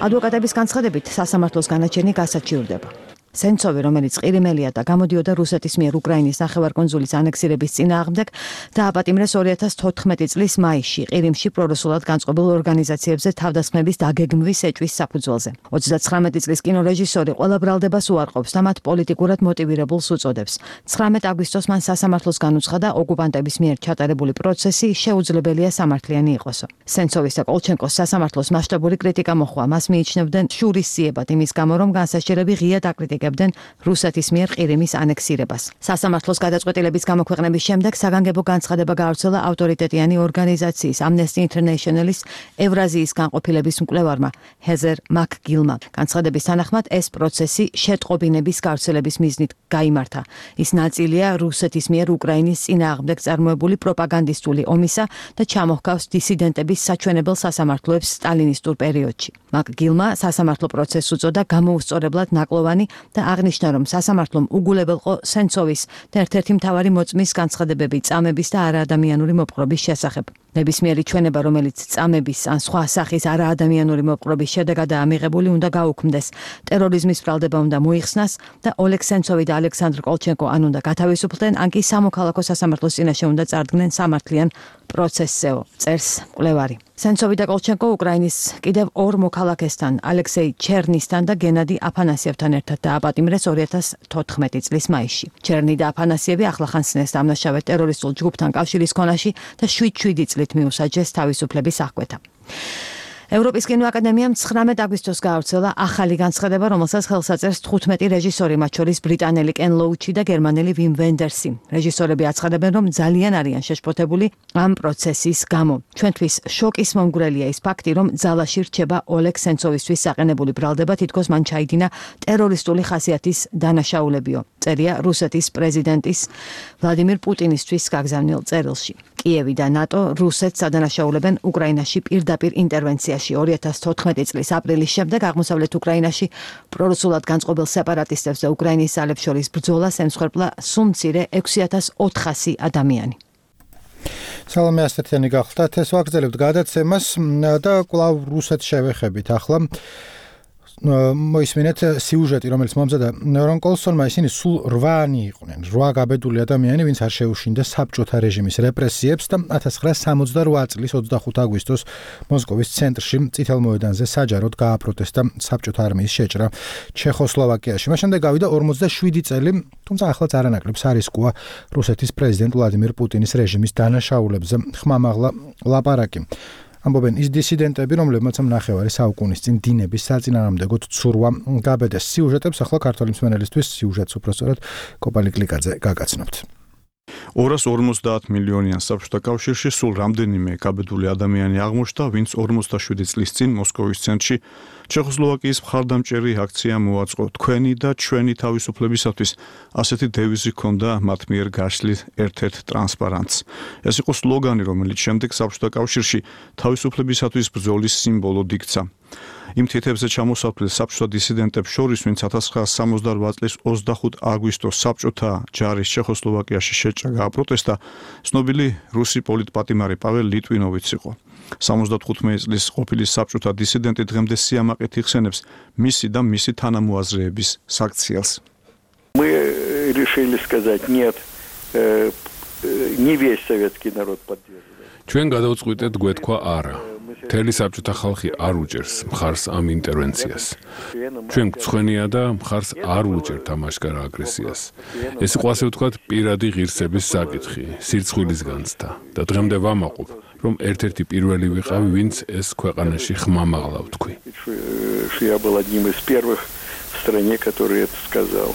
ადვოკატების განცხადებით სასამართლოს განაჩენი გასაჩივრდება. სენცოვი, რომელიც ყირიმელია და გამოდიოდა რუსეთის მიერ უკრაინის ნახევარკუნძულის ანექსირების წინააღმდეგ, დააპატიმრეს 2014 წლის მაისში ყირიმში პრორუსულად განწყობილ ორგანიზაციებზე თავდასხმების დაგეგმვის ეჭვის საფუძველზე. 39 წლის კინორეჟისორი ყველა ბრალდებას უარყოფს და მათ პოლიტიკურად მოტივირებულს უწოდებს. 19 აგვისტოს მან სასამართლოს განუცხადა ოკუპანტების მიერ ჩატარებული პროცესი შეუძლებელია სამართლიანი იყოსო. სენცოვის და კოლჩენკოს სასამართლოს მასშტაბური კრიტიკა მოჰყვა. მას მიიჩნევდნენ შურისძიებად იმის გამო, რომ განსაჯერები ღიად აკრიტიკებდნენ რუსეთის მიერ ყირიმის ანექსირებას. სასამართლოს გადაწყვეტილების გამოქვეყნების შემდეგ საგანგებო განცხადება გაავრცელა ავტორიტეტიანი ორგანიზაციის Amnesty International-ის ევრაზიის განყოფილების მკვლევარმა ჰეზერ მაკგილმა. განცხადების თანახმად ეს პროცესი შეტყობინების გავრცელების მიზნით გაიმართა. ის ნაწილია რუსეთის მიერ უკრაინის წინააღმდეგ წარმოებული პროპაგანდისტული ომისა და ჩამოჰგავს დისიდენტების საჩვენებელ სასამართლოებს სტალინისტურ პერიოდში. მაკგილმა სასამართლო პროცესს უწოდა გამოუსწორებლად ნაკლოვანი და აღნიშნა, რომ სასამართლომ უგულებელყო სენცოვის და ერთ-ერთი მთავარი მოწმის განცხადებები წამების და არაადამიანური მოპყრობის შესახებ. ნებისმიერი ჩვენება, რომელიც წამების ან სხვა სახის არაადამიანური მოპყრობის შედეგადაა მიღებული, უნდა გაუქმდეს. ტერორიზმის ბრალდება უნდა მოიხსნას და ოლეგ სენცოვი და ალექსანდრ კოლჩენკო ან უნდა გათავისუფლდნენ, ან კი სამოქალაქო სასამართლოს წინაშე უნდა წარდგნენ სამართლიან პროცესსეო, წერს მკვლევარი. სენცოვი და კოლჩენკო უკრაინის კიდევ ორ მოქალაქესთან, ალექსეი ჩერნისთან და გენადი აფანასიევთან ერთად დააპატიმრეს 2014 წლის მაისში. ჩერნი და აფანასიევი ახლახანს დამნაშავე ტერორისტულ ჯგუფთან კავშირის ქონაში და 7 წლით მიუსაჯეს თავისუფლების აღკვეთა. ევროპის კინოაკადემიამ 19 აგვისტოს გაავრცელა ახალი განცხადება, რომელსაც ხელს აწერს 15 რეჟისორი, მათ შორის ბრიტანელი კენ ლოუჩი და გერმანელი ვიმ ვენდერსი. რეჟისორები აცხადებენ, რომ ძალიან არიან შეშფოთებული ამ პროცესის გამო. ჩვენთვის შოკის მომგვრელია ის ფაქტი, რომ ძალაში რჩება ოლეგ სენცოვისთვის საყენებული ბრალდება, თითქოს მან ჩაიდინა ტერორისტული ხასიათის დანაშაულებიო. წერია რუსეთის პრეზიდენტის ვლადიმირ პუტინისთვის გაგზავნილ წერილში. კიევი და ნატო რუსეთს ადანაშაულებენ უკრაინაში პირდაპირ ინტერვენციაში. 2014 წლის აპრილის შემდეგ აღმოსავლეთ უკრაინაში პრორუსულად განწყობილ სეპარატისტებს და უკრაინის ძალებს შორის ბრძოლას ემსხვერპლა სულ მცირე 6400 ადამიანი. სალამი ასეთიანი გახლდათ, ეს ვაგრძელებთ გადაცემას და კვლავ რუსეთს შევეხებით ახლა. მოისმინეთ სიუჟეტი, რომელიც მომზადა რონ კოლსონმა, ისინი სულ 8-ნი იყვნენ, 8 გაბედული ადამიანი, ვინც არ შეუშინდა საბჭოთა რეჟიმის რეპრესიებს და 1968 წლის 25 აგვისტოს მოსკოვის ცენტრში წითელ მოედანზე საჯაროდ გააპროტესტა საბჭოთა არმიის შეჭრა ჩეხოსლოვაკიაში. მას შემდეგ გავიდა 47 წელი, თუმცა ახლაც არანაკლებ სარისკოა რუსეთის პრეზიდენტ ვლადიმირ პუტინის რეჟიმის დანაშაულებზე ხმამაღლა ლაპარაკი. ამბობენ ის დისიდენტები, რომლებმაც ნახევარი საუკუნის წინ დინების საწინააღმდეგოდ ცურვა გაბედეს. სიუჟეტებს ახლა ქართველი მსმენელისთვის სიუჟეტს უпростоრად კოპალი კლიკაძე გაგაცნობთ. 250 მილიონიან საბჭოთა კავშირში სულ რამდენიმე გაბედული ადამიანი აღმოჩნდა, ვინც 47 წლის წინ მოსკოვის ცენტრში ჩეხოსლოვაკიის მხარდამჭერი აქცია მოაწყო. თქვენი და ჩვენი თავისუფლებისათვის ასეთი დევიზი ჰქონდა მათ მიერ გაშლილ ერთ-ერთ ტრანსპარანტს. ეს იყო სლოგანი, რომელიც შემდეგ საბჭოთა კავშირში თავისუფლებისათვის ბრძოლის სიმბოლოდ იქცა. იმ თითებზე ჩამოსაფრთხილ საბჭოთა დისიდენტებს შორის, ვინც 1968 წლის 25 აგვისტოს საბჭოთა ჯარის ჩეხოსლოვაკიაში შეჭრა გააპროტესტა, ცნობილი რუსი პოლიტპატიმარი პაվել ლიტვინოვიც იყო. 75 წლის ყოფილი საბჭოთა დისიდენტი დღემდე სიამაყით იხსენებს მისი და მისი თანამოაზრეების საქციელს. Мы решили сказать нет, не весь советский народ поддерживает. ჩვენ გადავწყვიტეთ გვეთქვა არა. მთელი საბჭოთა ხალხი არ უჭერს მხარს ამ ინტერვენციას. ჩვენ გცხვენია და მხარს არ უჭერთ ამ აშკარა აგრესიას. ეს იყო ასე ვთქვათ პირადი ღირსების საკითხი, სირცხვილის განცდა და დღემდე ვამაყობ, რომ ერთ-ერთი პირველი ვიყავი, ვინც ეს ქვეყანაში ხმამაღლა ვთქვი. Я был одним из первых в стране, который это сказал.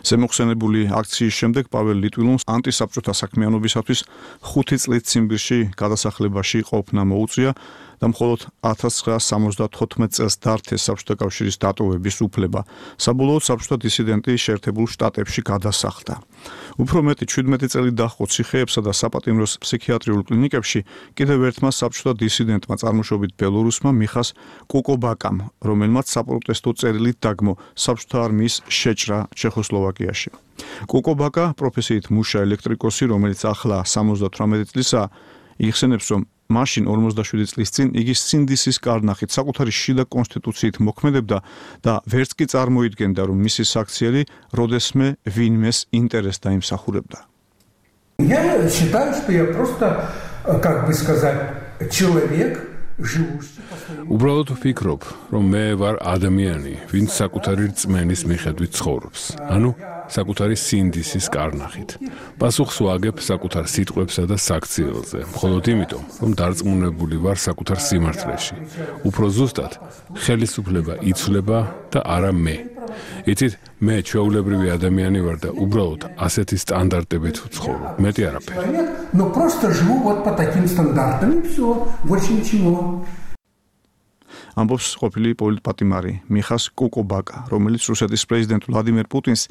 ზემოხსენებული აქციის შემდეგ პაվել ლიტვილოვს ანტისაბჭოთა საქმიანობისათვის 5 წლით ციმბირში გადასახლებაში ყოფნა მოუწია და მხოლოდ 1974 წელს დართეს საბჭოთა კავშირის დატოვების უფლება. საბოლოოდ საბჭოთა დისიდენტი შეერთებულ შტატებში გადასახლდა. უფრო მეტი 17 წელი დაჰყო ციხეებსა და საპატიმროს ფსიქიატრიულ კლინიკებში კიდევ ერთმა საბჭოთა დისიდენტმა წარმოშობით ბელორუსმა მიხას კუკობაკამ, რომელმაც საპროტესტო წერილით დაგმო საბჭოთა არმიის შეჭრა ჩეხოსლოვაკიაში. კუკობაკა პროფესიით მუშა ელექტრიკოსი, რომელიც ახლა 78 წლისაა, იხსენებს, რომ მაშინ 47 წლის წინ იგი სინდისის კარნახით საკუთარი შიდა კონსტიტუციით მოქმედებდა და ვერც კი წარმოიდგენდა, რომ მისი საქციელი როდესმე ვინმეს ინტერესს დაიმსახურებდა. Я считаю, что я просто, как бы сказать, человек, живущий по своему. უბრალოდ ვფიქრობ, რომ მე ვარ ადამიანი, ვინც საკუთარი რწმენის მიხედვით ცხოვრობს. ანუ საკუთარი სინდისის კარნახით. პასუხს ვაგებ საკუთარ სიტყვებსა და საქციელზე, მხოლოდ იმიტომ, რომ დარწმუნებული ვარ საკუთარ სიმართლეში. უფრო ზუსტად, ხელისუფლება იცვლება და არა მე. იცით, მე ჩვეულებრივი ადამიანი ვარ და უბრალოდ ასეთი სტანდარტებით ვცხოვრობ, მეტი არაფერი. Но просто живу вот по таким стандартам, и всё, больше ничего. ამბობს ყოფილი პოლიტპატიმარი მიხას კუკობაკა, რომელიც რუსეთის პრეზიდენტ ვლადიმერ პუტინს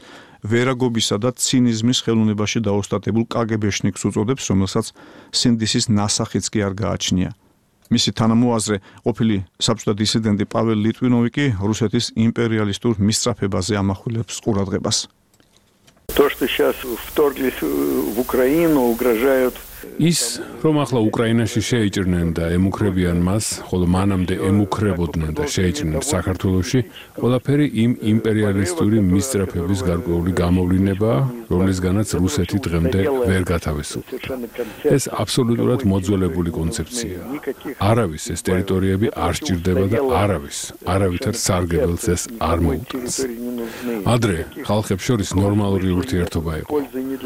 ვერაგობისა და ცინიზმის ხელოვნებაში დაოსტატებულ კგბ-შნიკს უწოდებს, რომელსაც სინდისის ნასახიც კი არ გააჩნია. მისი თანამოაზრე ყოფილი საბჭოთა დისიდენტი პაվել ლიტვინოვი კი რუსეთის იმპერიალისტურ მისწრაფებაზე ამახვილებს ყურადღებას. То, что сейчас вторглись в Украину, угрожают ის, რომ ახლა უკრაინაში შეიჭრნენ და ემუქრებიან მას, ხოლო მანამდე ემუქრებოდნენ და შეიჭრნენ საქართველოში, ყველაფერი იმ იმპერიალისტური მისწრაფების გარკვეული გამოვლინებაა, რომლისგანაც რუსეთი დღემდე ვერ გათავისუფლდა. ეს აბსოლუტურად მოძველებული კონცეფციაა. არავის ეს ტერიტორიები არ სჭირდება და არავითარ სარგებელს ეს არ მოუტანს. ადრე ხალხებს შორის ნორმალური ურთიერთობა იყო.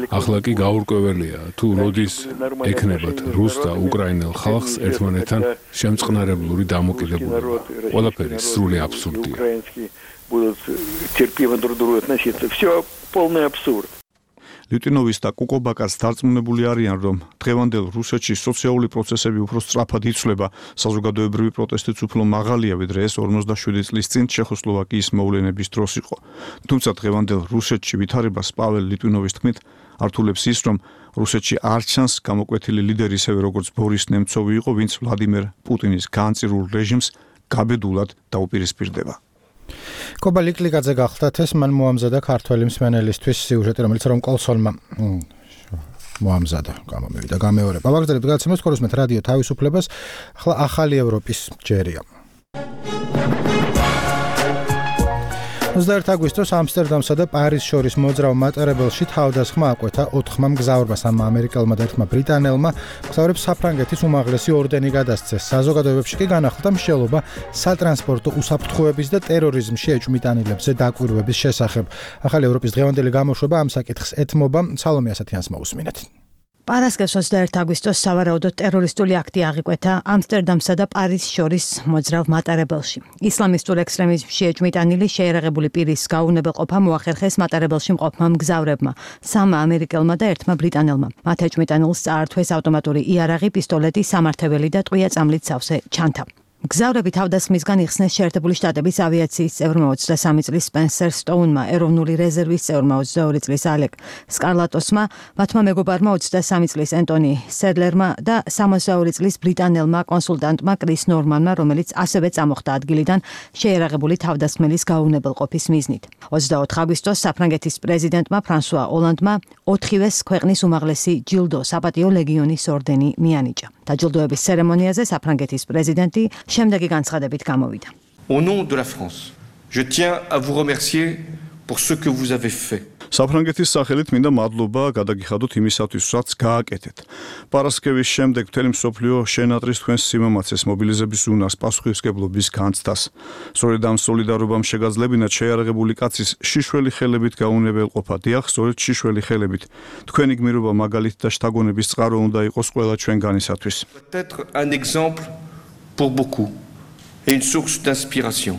ახლა კი გაურკვეველია, თუ როდის ეკნებათ რუს და უკრაინელ ხალხს ერთმანეთთან შემწყნარებლური დამოკიდებულება. ყველაფერი სრული აბსურდია. будут терпимо друг к другу относиться. Всё полный абсурд. ლიტვინოვის და კუკობაკას დარწმუნებული არიან, რომ დღევანდელ რუსეთში სოციალური პროცესები უფრო სწრაფად იცვლება, საზოგადოებრივი პროტესტიც უფრო მაღალია, ვიდრე ეს 47 წლის წინ ჩეხოსლოვაკიის მოვლენების დროს იყო. თუმცა დღევანდელ რუსეთში ვითარებას პაվել ლიტვინოვის თქმით ართულებს ის, რომ რუსეთში არ ჩანს გამოკვეთილი ლიდერი ისევე როგორც ბორის ნემცოვი იყო, ვინც ვლადიმერ პუტინის განწირულ რეჟიმს გაბედულად დაუპირისპირდება. კობა ლიკლიკაძე გახლდათ ეს მან მოამზადა ქართველი მსმენელისთვის სიუჟეტი, რომელიც რომ კოლსონმა მოამზადა, გამომივიდა, გამეორება. ვაგრძელებთ გადაცემას, ხორისმეთ რადიო თავისუფლებას, ახლა ახალი ევროპის ჯერია. 21 აგვისტოს ამსტერდამსა და პარიზს შორის მოძრავ მატარებელში თავდასხმა აკვეთა 4 მგზავრმა, 3 ამერიკელმა და 1 ბრიტანელმა. მგზავრებს საფრანგეთის უმაღლესი ორდენი გადასცეს. საზოგადოებებში კი განახლდა მსჯელობა სატრანსპორტო უსაფრთხოების და ტერორიზმში ეჭვმიტანილებზე დაკვირვების შესახებ. ახალი ევროპის დღევანდელი გამოშვება ამ საკითხს ეთმობა. სალომე ასათიანს მოусმინეთ. პარასკევს 21 აგვისტოს სავარაუდოდ ტერორისტული აქტი აღიკვეთა ამსტერდამსა და პარიზს შორის მოძრავ მატარებელში. ისლამისტურ ექსტრემიზმში ეჭვმიტანილი შეერაღებული პირის გაუვნებელყოფა მოახერხეს მატარებელში მყოფმა მგზავრებმა, 3 ამერიკელმა და 1 ბრიტანელმა. მათ ეჭვმიტანილს წაართვეს ავტომატური იარაღი, პისტოლეტი, სამართებელი და ტყვია წამლით სავსე ჩანთა. მგზავრები თავდასხმისგან იხსნეს შეერთებული შტატების ავიაციის წევრმა 23 წლის სპენსერ სტოუნმა, ეროვნული რეზერვის წევრმა 22 წლის ალეკ სკარლატოსმა, მათმა მეგობარმა 23 წლის ენტონი სედლერმა და 62 წლის ბრიტანელმა კონსულტანტმა კრის ნორმანმა, რომელიც ასევე წამოხდა ადგილიდან შეერაღებული თავდასხმელის გაუვნებელყოფის მიზნით. 24 აგვისტოს საფრანგეთის პრეზიდენტმა ფრანსუა ოლანდმა 4-ვეს ქვეყნის უმაღლესი ჯილდო საპატიო ლეგიონის ორდენი მიანიჭა. დაჯილდოების ცერემონიაზე საფრანგეთის პრეზიდენტი შემდეგი განცხადებით გამოვიდა. Au nom de la France, je tiens à vous remercier pour ce que vous avez fait. საფრანგეთის სახელით მინდა მადლობა გადაგიხადოთ იმისათვის, რაც გააკეთეთ. პარასკევის შემდეგ მთელი მსოფლიო შენატრს თქვენს სიმამაცეს, მობილიზების უნარს, პასუხისმგებლობის განცდას. სწორედ ამ სოლიდარობამ შეგაძლებინათ შეიარაღებული კაცის შიშველი ხელებით გაუნებელყოფა. დიახ, სწორედ შიშველი ხელებით. თქვენი გმირობა მაგალითი და შთაგონების წყარო უნდა იყოს ყველა ჩვენგანისათვის. Peut-être un exemple pour beaucoup et une source d'inspiration.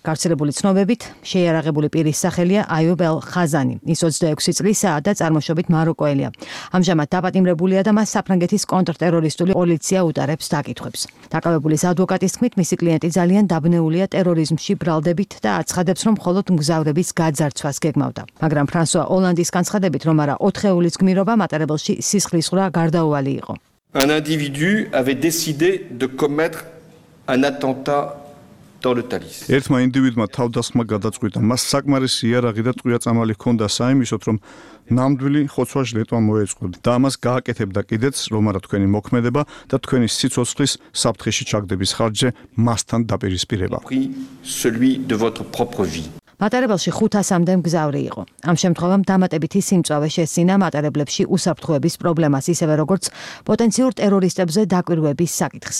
გავრცელებული ცნობებით, შეიარაღებული პირის სახელია აიუბ ელ-ხაზანი. ის 26 წლისაა და წარმოშობით მაროკოელია. ამჟამად დაპატიმრებულია და მას საფრანგეთის კონტრტერორისტული პოლიცია უტარებს დაკითხვებს. დაკავებულის ადვოკატის თქმით, მისი კლიენტი ძალიან დაბნეულია ტერორიზმში ბრალდებით და აცხადებს, რომ მხოლოდ მგზავრების გაძარცვას გეგმავდა. მაგრამ ფრანსუა ოლანდის განცხადებით, რომ არა 4 ეულის გმირობა მატარებელში სისხლისღვრა გარდაუვალი იყო. Un individu avait décidé de commettre un attentat dans le Thalys. ერთმა ინდივიდმა თავდასხმა გადაწყვიტა. მას საკმარისი იარაღი და ტყვია წამალი ჰქონდა საიმისოდ, რომ ნამდვილი ხოცვა-ჟლეტვა მოეწყო და ამას გააკეთებდა კიდეც, რომ არა თქვენი მოქმედება და თქვენი სიცოცხლის საფრთხეში ჩაგდების ხარჯზე მასთან დაპირისპირება. Celui de votre propre vie. მატარებელში 500-მდე მგზავრი იყო. ამ შემთხვევამ დამატებითი სიმწვავე შესძინა მატარებლებში უსაფრთხოების პრობლემას, ისევე როგორც პოტენციურ ტერორისტებზე დაკვირვების საკითხს.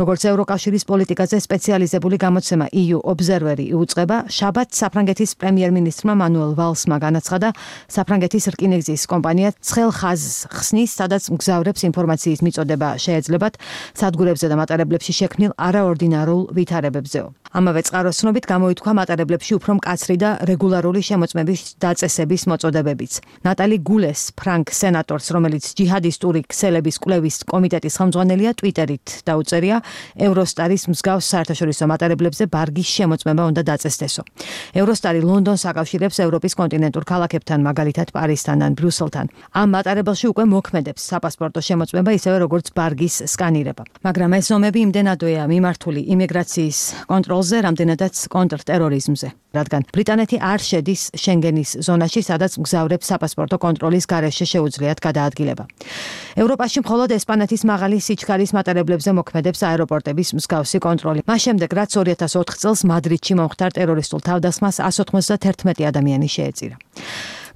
როგორც ევროკავშირის პოლიტიკაზე სპეციალიზებული გამოცემა EU Observer-ი იუწყება, შაბათს საფრანგეთის პრემიერ-მინისტრმა მანუელ ვალსმა განაცხადა, საფრანგეთის რკინიგზის კომპანია ცხელ ხაზს ხსნის, სადაც მგზავრებს ინფორმაციის მიწოდება შეეძლებათ სადგურებზე და მატარებლებში შექმნილ არაორდინარულ ვითარებებზეო. ამავე წყაროს ცნობით გამოითქვა მატარებლებში უფრო მკაცრი და რეგულარული შემოწმების დაწესების მოწოდებებიც. ნატალი გულეს, ფრანკ სენატორს, რომელიც ჯიჰადისტური ქსელების კვლევის კომიტეტის ხელმძღვანელია, ტვიტერით დაუწერია, ევროსტარის მსგავს საერთაშორისო მატარებლებზე ბარგის შემოწმება უნდა დაწესდესო. ევროსტარი ლონდონს აკავშირებს ევროპის კონტინენტურ ქალაქებთან, მაგალითად პარიზთან ან ბრიუსელთან. ამ მატარებელში უკვე მოქმედებს საპასპორტო შემოწმება, ისევე როგორც ბარგის სკანირება. მაგრამ ეს ზომები იმდენადვეა მიმართული იმიგრაციის კონტროლზე, რამდენადაც კონტრტერორიზმზე. რადგან ბრიტანეთი არ შედის შენგენის ზონაში, სადაც მგზავრებს საპასპორტო კონტროლის გარეშე შეუძლიათ გადაადგილება. ევროპაში მხოლოდ ესპანეთის მაღალი სიჩქარის მატარებლებზე მოქმედებს აეროპორტების მსგავსი კონტროლი. მას შემდეგ, რაც 2004 წელს მადრიდში მომხდარ ტერორისტულ თავდასხმას 191 ადამიანი შეეწირა.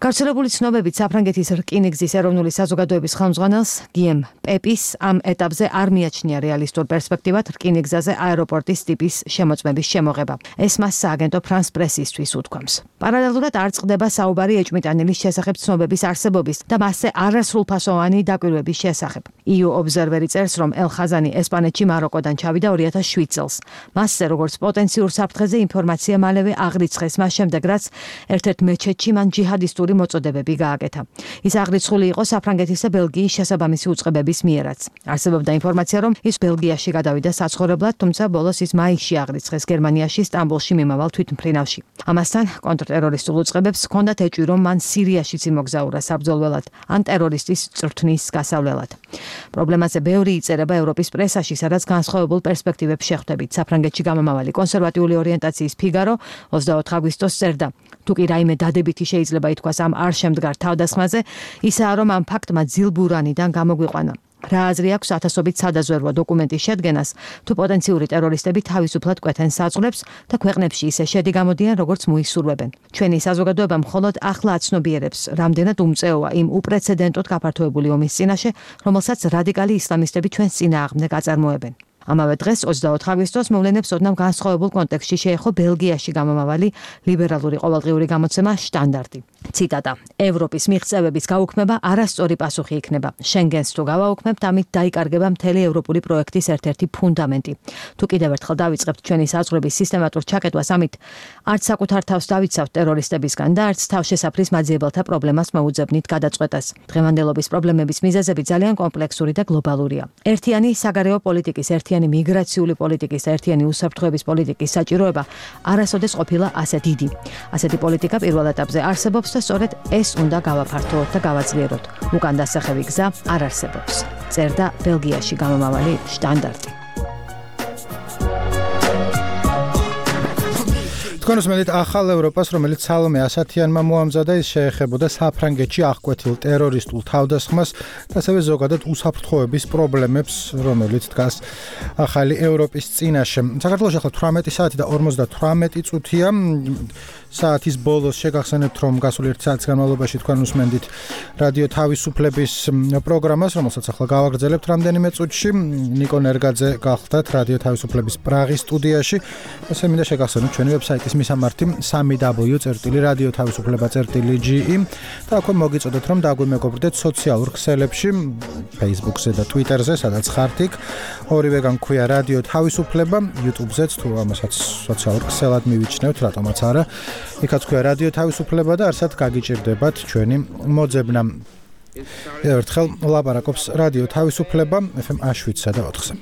გავრცელებული ცნობებით საფრანგეთის რკინიგზის ეროვნული საზოგადოების ხელმძღვანელს გიემ პეპის ამ ეტაპზე არ მიაჩნია რეალისტურ პერსპექტივად რკინიგზაზე აეროპორტის ტიპის შემოწმების შემოღება. ეს მას სააგენტო ფრანს პრესისთვის უთქვამს. პარალელურად არ წყდება საუბარი ეჭვმიტანილის შესახებ ცნობების არსებობის და მასზე არასრულფასოვანი დაკვირვების შესახებ. EU Observer-ი წერს, რომ ელ-ხაზანი ესპანეთში მაროკოდან ჩავიდა 2007 წელს. მასზე როგორც პოტენციურ საფრთხეზე ინფორმაცია მალევე აღრიცხეს, მას შემდეგ რაც ერთ-ერთ მეჩეთში მან ჯიჰადისტური მოწოდებები გააკეთა. ის აღრიცხული იყო საფრანგეთის და ბელგიის შესაბამისი უწყებების მიერაც. არსებობდა ინფორმაცია, რომ ის ბელგიაში გადავიდა საცხოვრებლად, თუმცა ბოლოს ის მაისში აღრიცხეს გერმანიაში, სტამბოლში მიმავალ თვითმფრინავში. ამასთან კონტრტერორისტულ უწყებებს ჰქონდათ ეჭვი, რომ მან სირიაშიც იმოგზაურა საბრძოლველად ან ტერორისტის წრთნის გასავლელად. პრობლემაზე ბევრი იწერება ევროპის პრესაში, სადაც განსხვავებულ პერსპექტივებს შეხვდებით. საფრანგეთში გამომავალი კონსერვატიული ორიენტაციის ფიგარო 24 აგვისტოს წერდა. თუ კი რაიმე დადებითი შეიძლება ითქვას ამ არ შემდგარ თავდასხმაზე, ისაა, რომ ამ ფაქტმა ძილბურანიდან გამოგვიყვანა. რა აზრი აქვს ათასობით სადაზვერვო დოკუმენტის შედგენას, თუ პოტენციური ტერორისტები თავისუფლად კვეთენ საწყლებს და ქვეყნებში ისე შედი გამოდიან, როგორც მოისურვებენ. ჩვენი საზოგადოება მხოლოდ ახლა აცნობიერებს, რამდენად უმწეოა იმ უპრეცედენტოდ გაფართოებული ომის წინაშე, რომელსაც რადიკალი ისლამისტები ჩვენს წინააღმდეგ აწარმოებენ. ამავე დღეს 24 აგვისტოს მოვლენებს ოდნავ განსხვავებულ კონტექსტში შეეხო ბელგიაში გამომავალი ლიბერალური ყოველდღიური გამოცემა შტანდარტი. ციტატა: ევროპის მიღწევების გაუქმება არასწორი პასუხი იქნება. შენგენს თუ გავაუქმებთ, ამით დაიკარგება მთელი ევროპული პროექტის ერთ-ერთი ფუნდამენტი. თუ კიდევ ერთხელ დავიწყებთ ჩვენი საზღვრების სისტემატურ ჩაკეტვას, ამით არც საკუთარ თავს დავიცავთ ტერორისტებისგან და არც თავშესაფრის მაძიებელთა პრობლემას მოუძებნით გადაწყვეტას. დღევანდელობის პრობლემების მიზეზები ძალიან კომპლექსური და გლობალურია. ერთიანი საგარეო პოლიტიკის, ერთიანი მიგრაციული პოლიტიკის და ერთიანი უსაფრთხოების პოლიტიკის საჭიროება არასოდეს ყოფილა ასე დიდი. ასეთი პოლიტიკა პირველ ეტაპზე არსებობს და სწორედ ეს უნდა გავაფართოოთ და გავაძლიეროთ. უკან დასახევი გზა არ არსებობს. წერდა ბელგიაში გამომავალი შტანდარტი. თქვენ უსმენთ ახალ ევროპას, რომელიც სალომე ასათიანმა მოამზადა, ის შეეხებოდა საფრანგეთში აღკვეთილ ტერორისტულ თავდასხმას და ასევე ზოგადად უსაფრთხოების პრობლემებს, რომელიც დგას ახალი ევროპის წინაშე. საქართველოში ახლა 18 საათი და 58 წუთია. საათის ბოლოს შეგახსენებთ, რომ გასული 1 საათის განმავლობაში თქვენ უსმენდით რადიო თავისუფლების პროგრამას, რომელსაც ახლა გავაგრძელებთ რამდენიმე წუთში. ნიკო ნერგაძე გახლდათ რადიო თავისუფლების პრაღის სტუდიაში. ასე მინდა შეგახსენოთ ჩვენი ვებსაიტის არის მისამართი www.radioთავისუფლება.ge და აქვე მოგიწოდოთ რომ დაგვიმეგობრდეთ სოციალურ ქსელებში, Facebook-ზე და Twitter-ზე, სადაც ხართ იქ. ორივე განქვია რადიო თავისუფლება, YouTube-ზეც თუ ამასაც სოციალურ ქსელად მივიჩნევთ, რატომაც არა. იქაც ქვია რადიო თავისუფლება და არსად გაგიჭირდებათ ჩვენი მოძებნა. ერთხელ ლაპარაკობს რადიო თავისუფლება FM 7-სა და 4-ზე.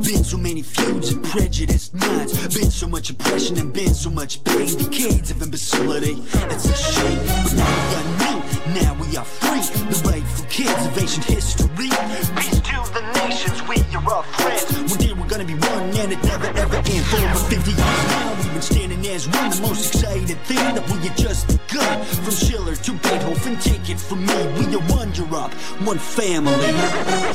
Been so many feuds and prejudiced minds. Been so much oppression and been so much pain. Decades of imbecility. It's a shame. But now we are new. Now we are free. The rightful kids of ancient history. Peace to the nations. We are all friends. One day we're gonna be one and it never ever ends. For over 50 years now we've been standing as one. The most exciting thing that we had just begun. From Schiller to Beethoven, take it from me. We are one Europe, one family.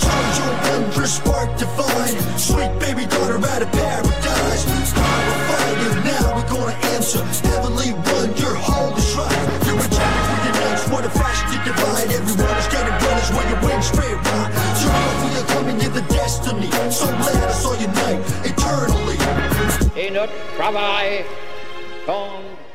Charge your wondrous spark divine. Sweet baby daughter out of paradise. Power fire, now we're gonna answer. Heavenly one, your holy shrine. You're a child who unites, what a fashion to divide. Everyone is getting brothers when you win straight right. Turn we are coming in the destiny. So let us all unite eternally. Et notre travail compte